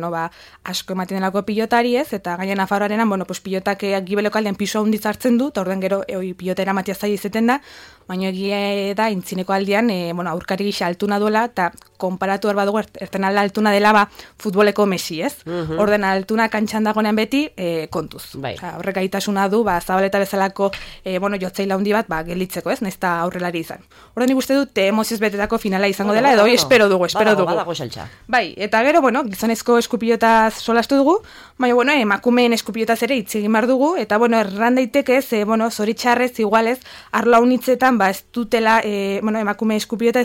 asko ematen delako pilotari, ez? Eta gaina Nafarroarenan, pues pilotak gibeleko aldean piso handiz hartzen du, eta orden gero pilotera matia zaila izeten da, baina egia da, intzineko aldean, aurkari gisa altuna duela, eta konparatu erba dugu, erten alda altuna dela, futboleko Messi, ez? Orden altuna kantxan dagoenean beti, kontuz. Horrek gaitasuna du, zabaleta bezalako, jotzaila handi bat, gelditzeko, ez? Naizta aurrelari izan. Orden nik uste dut, emozioz betetako finala izango dela, edo espero dugu. Badago saltza. Bai, eta gero, gizonezko eskupilotaz solastu dugu, baina, emakumeen eskupilotaz ere hitz egin behar dugu, eta, erran daiteke, zoritxarrez, igualez, arlo haunitzetan, ez dutela, emakume eskupilota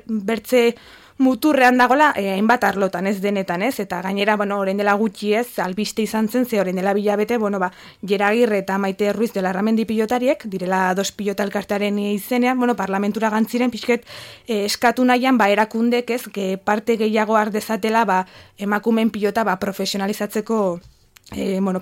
bertze muturrean dagola, hainbat arlotan, ez denetan, ez? Eta gainera, orain dela gutxi ez, albiste izan zen, orain dela bilabete, Jera Agirre eta Maite Ruiz dela Larramendi pilotariek, direla 2 pilota elkartearen izenean, parlamentura gantziren, pixket, eskatu nahian, erakundek, ez, parte gehiago ardezatela, emakumeen pilota, profesionalizatzeko,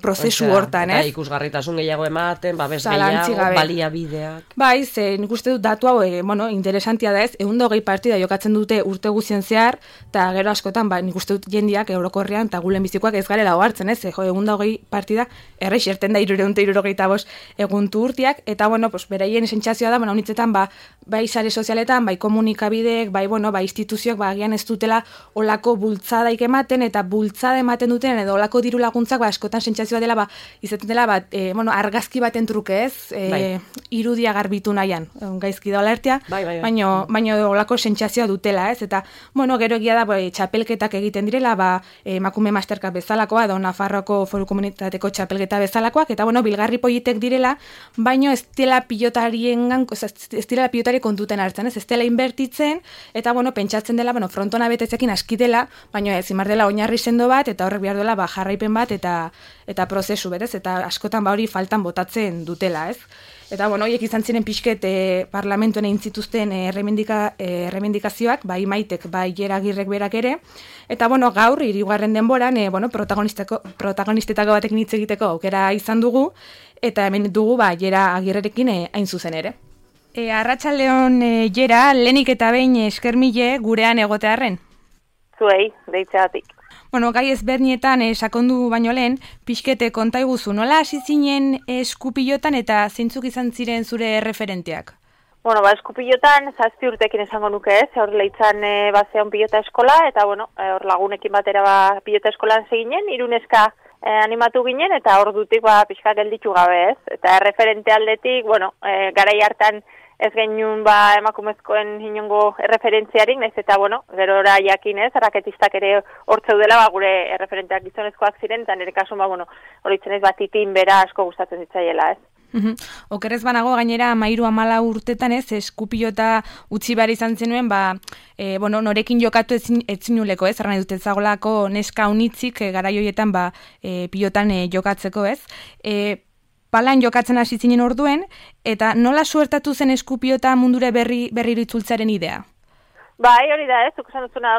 prozesu hortan, ez? Ikusgarritasun gehiago ematen, babes gehiago, baliabideak. Bai, nik uste dut datu hau, interesantia da ez, 120 partida jokatzen dute urte guzien zehar, eta gero askotan, nik uste dut jendiak Eurokorrean eta gulen bizikoak ez garela ohartzen, ez? 120 partida, errexerten da 365 eguntu urtiak, eta, beraien sentsazioa da, honitzetan, bai sare sozialetan, bai komunikabideek, bai instituzioak, agian ez dutela olako bultzadaik ematen, eta bultzada ematen duten, edo olako diru laguntzak, askotan sentsazioa dela, izaten dela, argazki baten truke, ez? Irudia garbitu nahian, gaizki da alertia, baina olako sentsazioa dutela, ez? Eta, gero egia da, txapelketak egiten direla, emakume masterka bezalakoa, edo Nafarroako Foru Komunitateko txapelketa bezalakoak, eta, bilgarri politek direla, baina ez dela pilotari kontuten hartzen, ez dela inbertitzen, eta, pentsatzen dela, frontona betezekin aski dela, baina ez, imar dela oinarri sendo bat, eta horrek behar dela, jarraipen bat, eta prozesu berez, eta askotan hori faltan botatzen dutela, ez? Eta, horiek izan ziren pixket parlamentuen egin zituzten erremendikazioak, bai Maitek, bai Jera Agirrek berak ere, eta, gaur, 3. denboran, protagonistetako batek hitz egiteko aukera izan dugu, eta hemen dugu, Jera Agirrerekin hain zuzen ere. Arratsaldeon, Jera, lehenik eta behin eskermile gurean egotearren. Zuei, deitzeatik. Gai ezberdinetan sakondu baino lehen, pixkete konta iguzu, nola hasi zinen eskupilotan eta zeintzuk izan ziren zure referenteak? Eskupilotan 7 urtekin esango nuke ez, hor leitzan bazean pilota eskola, eta hor lagunekin batera pilota eskolan seginen, 3 neska animatu ginen, eta hor dutik pixka gelditu gabe ez, eta referente aldetik, garai hartan ez genuen emakumezkoen inongo erreferentziarik, naiz eta, gerora jakin ez, raketistak ere hortzeu dela, gure erreferenteak gizonezkoak ziren, eta nire kasun, horitzen ez titin bera asko gustatzen zitzaiela, ez. Okerrez banago gainera 13-14 urtetan ez, eskupilota utzi behar izan zenuen, norekin jokatu etzinuleko ez, erran dut ezagolako neska unitzik garai horietan pilotan jokatzeko ez. Palan jokatzen hasi zinen orduen, eta nola suertatu zen eskupilota mundure berriro itzultzaren idea? Bai, hori da ez, zuk esan duzuna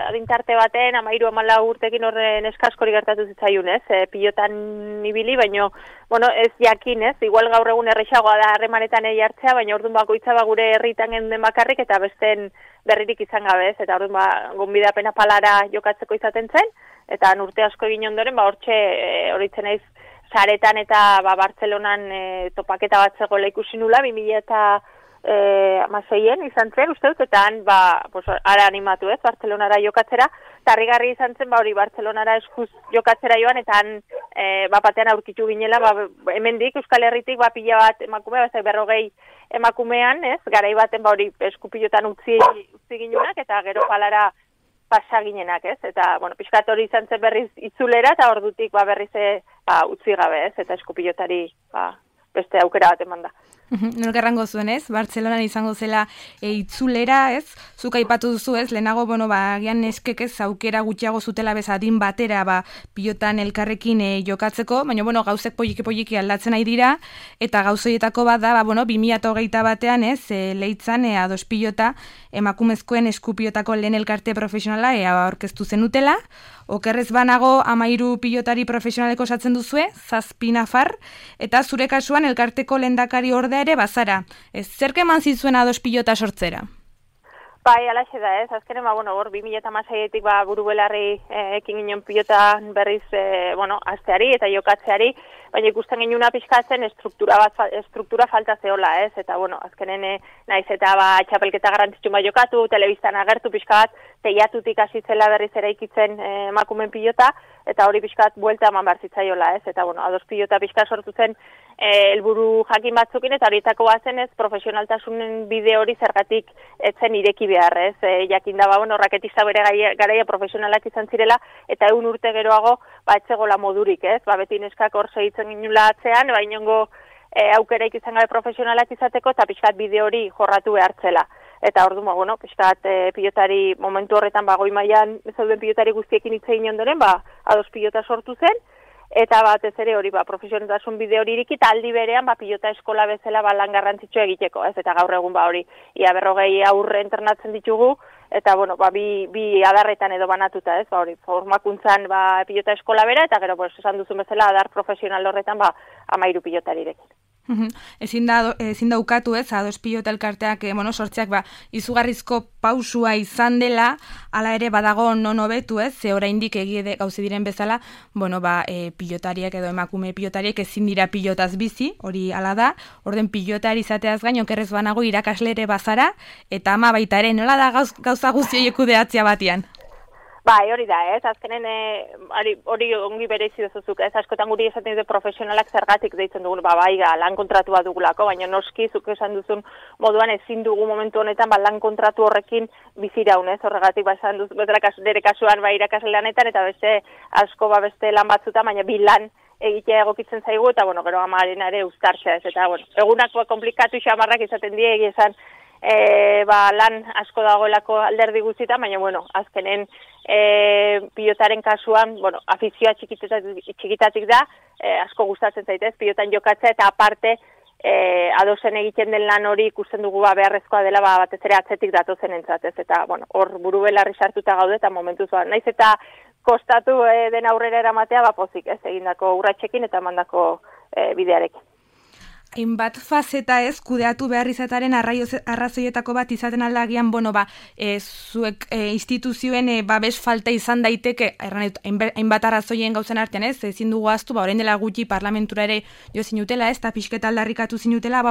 adintarte baten, 13-14 urtekin horren eskaskori gertatu zitzaiun ez, pilotan ibili, baino, ez jakin ez, igual gaur egun errexagoa da harremanetan hartzea, baina orduan bakoitza gure herritan genden bakarrik eta besten berririk izan gabe ez, eta orduan gonbidapena Palara jokatzeko izaten zen, eta urte asko egin ondoren, horitzen naiz, saretan eta Bartzelonan topaketa bat zegoela ikusi nula, 2016 izan zen, uste dut, eta han, ara animatu ez, Bartzelonara jokatzera, eta harrigarri izan zen, hori Bartzelonara eskuz jokatzera joan, eta han, batean aurkitu ginela, hemendik, Euskal Herritik, pila bat emakume, 40 emakumean, ez, garai baten, hori eskupilotan utzi ginunak, eta gero Palara pasa ginenak, ez? Eta, pixkat hori izan zen berriz itzulera, eta ordutik berriz utzi gabe, ez? Eta eskupilotari beste aukera bat eman da. Nork errango zuen, ez? Bartzelonan izango zela itzulera, ez? Zuk aipatu duzu, ez? Lehenago, agian neskek ez aukera gutxiago zutela bezadin batera, pilotan elkarrekin jokatzeko, baina, gauzek poliki aldatzen nahi dira, eta gauzoietako bat da, 2021 batean, ez? Leitzan, ados pilota, emakumezkoen eskupilotako lehen elkarte profesionala, aurkeztu zenutela, okerrez banago 13 pilotari profesionaleko osatzen duzue, 7 nafar, eta zure kasuan elkarteko lehendakari ordea ere bazara. Zerk eman zizuen ados pilota sortzera? Bai, alaxe da, ez? Azkenen, hor 2016etik buru belarri ekin ginen pilota berriz, asteari eta jokatzeari, baina ikusten genuna pixkatzen estruktura falta zeola, ez? Eta, azkenen naiz eta txapelketa garrantzitsu jokatu, telebistan agertu pixka bat, teiatutik hasi zela berriz eraikitzen emakumeen pilota, eta hori pixka bat buelta eman behar zitzaiola, ez? Eta, ados pilota pixka sortu zen helburu jakin batzukin, eta horietako bazen ez, profesionaltasunen bide hori zergatik etzen ireki behar, ez? Jakin da, raketista bere garaia profesionalak izan zirela, eta 1 urte geroago, etzegola modurik, ez? Beti neskak hor segitzen ginula atzean, inongo aukeraik izan gabe profesionalak izateko, eta pixkat bide hori jorratu behartzela. Eta ordu, pixkat pilotari momentu horretan, goi mailan zeuden pilotari guztiekin hitz egin ondoren, ados pilota sortu zen, eta batez ere hori, profesionaltasun bide hori iriki, eta aldi berean, pilota eskola bezala lan garrantzitsua egiteko, ez? Eta gaur egun, hori, ia 40 aurre entrenatzen ditugu, eta, bi adarretan edo banatuta, ez? Hori, formakuntzan, pilota eskola bera, eta gero, esan duzun bezala, adar profesional horretan, 13 pilotarirekin. Ezin da ukatu, ez, ados pilota elkarteak, sortzeak, izugarrizko pausua izan dela, hala ere badago non hobetu, ez, ze oraindik egie gauze diren bezala, pilotariak edo emakume pilotariek ezin dira pilotaz bizi, hori hala da, orden pilotari izateaz gain, okerrez banago irakasle ere bazara, eta ama baita ere, nola da gauza guztioi ekudeatzea batian? Bai, hori da, ez, azkenen hori ongi bereizi duzuzuk, ez, askotan guri esaten dute profesionalak zergatik deitzen dugun, lan kontratua dugulako, baina noski zuk esan duzun moduan ezin dugu momentu honetan, lan kontratu horrekin biziraun, ez, horregatik, esan duz, nire kasuan, irakasle lanetan, eta beste asko, beste lan batzuta, baina bi lan egitea egokitzen zaigu, eta, gero amaren ere uztartxa, ez, eta, egunak komplikatu xamarrak izaten die, esan, lan asko dagoelako alderdi guztietan, baina, azkenen pilotaren kasuan, afizioa txikitatik da, asko gustatzen zaitez, pilotan jokatzea, eta aparte, adosen egiten den lan hori ikusten dugu beharrezkoa dela, batez ere atzetik datozen entzat, ez, eta, hor buru belarri sartuta gaude, eta momentuz, naiz eta kostatu den aurrera eramatea, pozik, ez, egindako urratxekin eta mandako bidearekin. Hainbat fazeta ez, kudeatu behar izataren arrazoietako bat izaten aldagian, zuek instituzioen babes falta izan daiteke, hainbat arrazoien gauzen artean ez, ezin dugu aztu, orain dela gutxi parlamentura ere jo zinutela ez, eta pixketa aldarrikatu zinutela,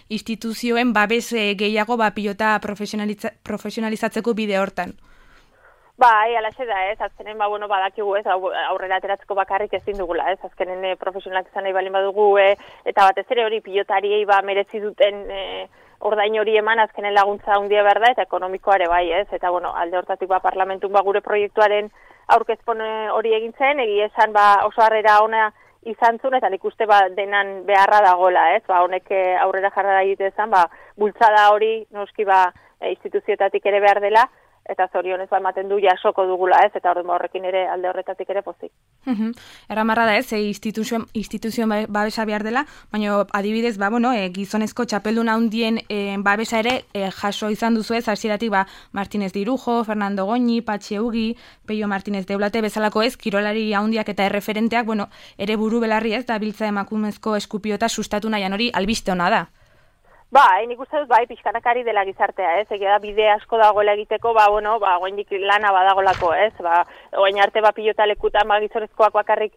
instituzioen babes gehiago pilota profesionalizatzeko bide hortan. Bai, alaxe da, ez, azkenen, badakigu, ez, aurrera ateratzeko bakarrik ezin dugula, ez, azkenen profesionalak izan nahi balin badugu, eta batez ere hori pilotariei merezi duten ordain hori eman, azkenen laguntza handia behar da, eta ekonomikoare bai, ez, eta, alde hortatik proiektun gure proiektuaren aurkezpon hori egin zen, esan oso harrera ona izan zuen, eta nik uste denan beharra dagoela, ez, honek aurrera jarra egitezan, bultzada hori, noski, instituzioetatik ere behar dela, eta zorionez ematen du jasoko dugula, ez, eta horrekin ere alde horretatik ere pozik. Erramarra da ez, instituzioen babesa behar dela, baina adibidez, gizonezko txapeldun handien babesa ere jaso izan duzu ez, hasieratik Martínez de Irujo, Fernando Goñi, Patxi Eugi, Peio Martínez de Eulate bezalako ez, kirolari handiak eta erreferenteak, ere buru belarri ez, da biltza emakumezko eskupiota sustatu nahian hori albiste ona da. Nik uste dut, pixkanakari dela gizartea, ez, egia da bide asko dagoela egiteko, goendik lana badagolako, ez, goen arte pilota lekutan, gizonezkoak bakarrik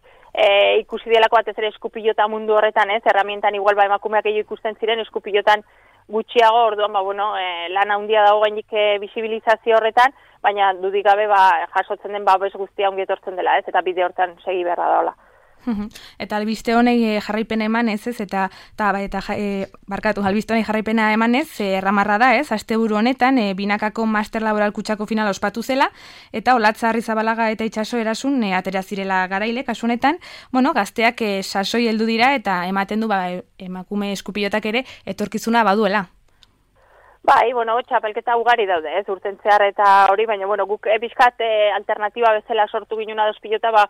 ikusi delako batez ere eskupilota mundu horretan, ez, herramientan igual emakumeak gehiago ikusten ziren, eskupilotan gutxiago, orduan, lana handia dago goendik bisibilizazio horretan, baina dudik gabe, jasotzen den babes guztia ongi etortzen dela, ez, eta bide hortan segi beharra daola. Eta albiste honei jarraipena emanez, ez? Albiste honei jarraipena emanez, erramarra da, ez? Asteburu honetan, binakako master laboral kutsako finala ospatu zela, eta Olatza Arrizabalaga eta Itxaso Erasun atera zirela garaile, kasu honetan, gazteak sasoi heldu dira, eta ematen du, emakume eskupilotak ere, etorkizuna baduela. Bai, txapelketa ugari daude, ez, urten zehar eta hori, baina, guk bizkat alternatiba bezala sortu ginuna dos pilota,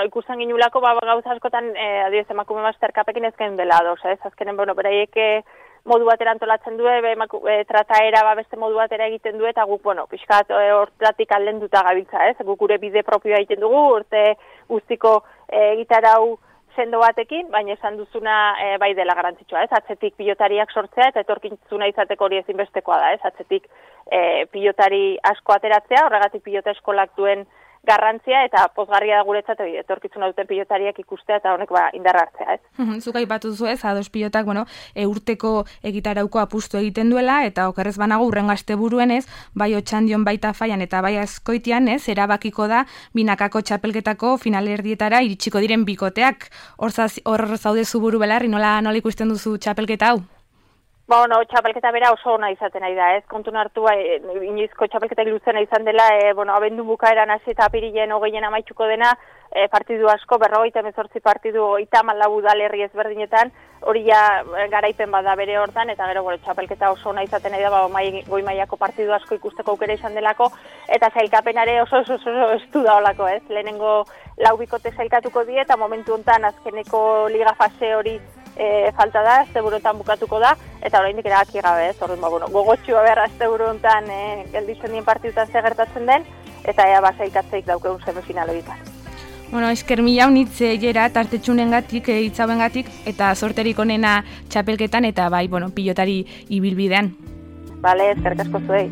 ikusten ginulako, gauza askotan, adibidez, emakume masterkapekin ezken dela ados, ez, azkenen, beraiek modu batera antolatzen du, trataera beste modu batera egiten du, eta guk, bizkat hortatik aldenduta gabiltza, ez, guk gure bide propioa egiten dugu, urte guztiko gitarau sendo batekin, baina esan duzuna bai dela garrantzitsua, ez? Atzetik pilotariak sortzea eta etorkizuna izateko hori ezinbestekoa da, ez? Atzetik pilotari asko ateratzea, horregatik pilota eskolak duen garrantzia eta pozgarria da guretzat etorkizuna duten pilotariak ikustea eta honek indarra hartzea, ez? Zuk aipatu zu, ez? Ados pilotak, urteko egitarauko apustu egiten duela eta okerrez banago urrengo asteburuen, ez? Bai Otxandion baita Faian eta bai Azkoitian, ez? Erabakiko da binakako txapelketako finalerdietara iritsiko diren bikoteak. Hor zaude zu buru belarri, nola ikusten duzu txapelketa hau? Txapelketa bera oso ona izaten ari da, ez? Kontun hartu, inoizko txapelketak luzena izan dela, abendu bukaeran hasi eta apirilen 20 amaituko dena, partidu asko, 58 partidu 34 udalerri ezberdinetan, hori garaipen bada bere hortan, eta gero txapelketa oso ona izaten ari da, goi mailako partidu asko ikusteko aukera izan delako, eta sailkapenare oso estu da olako, ez? Lehenengo 4 bikote sailkatuko die, eta momentu hontan azkeneko liga fase hori falta da, asteburuetan bukatuko da, eta oraindik erabaki gabe, ez? Gogotxua behar asteburu hontan gelditzen dien partidutan zer gertatzen den, eta ea sailkatzeik daukeun semifinal horietan. Esker mila unitz jera tartetxunengatik, hitzauengatik, eta sorterik onena txapelketan, eta bai, pilotari ibilbidean. Bale, eskerrik asko zuei.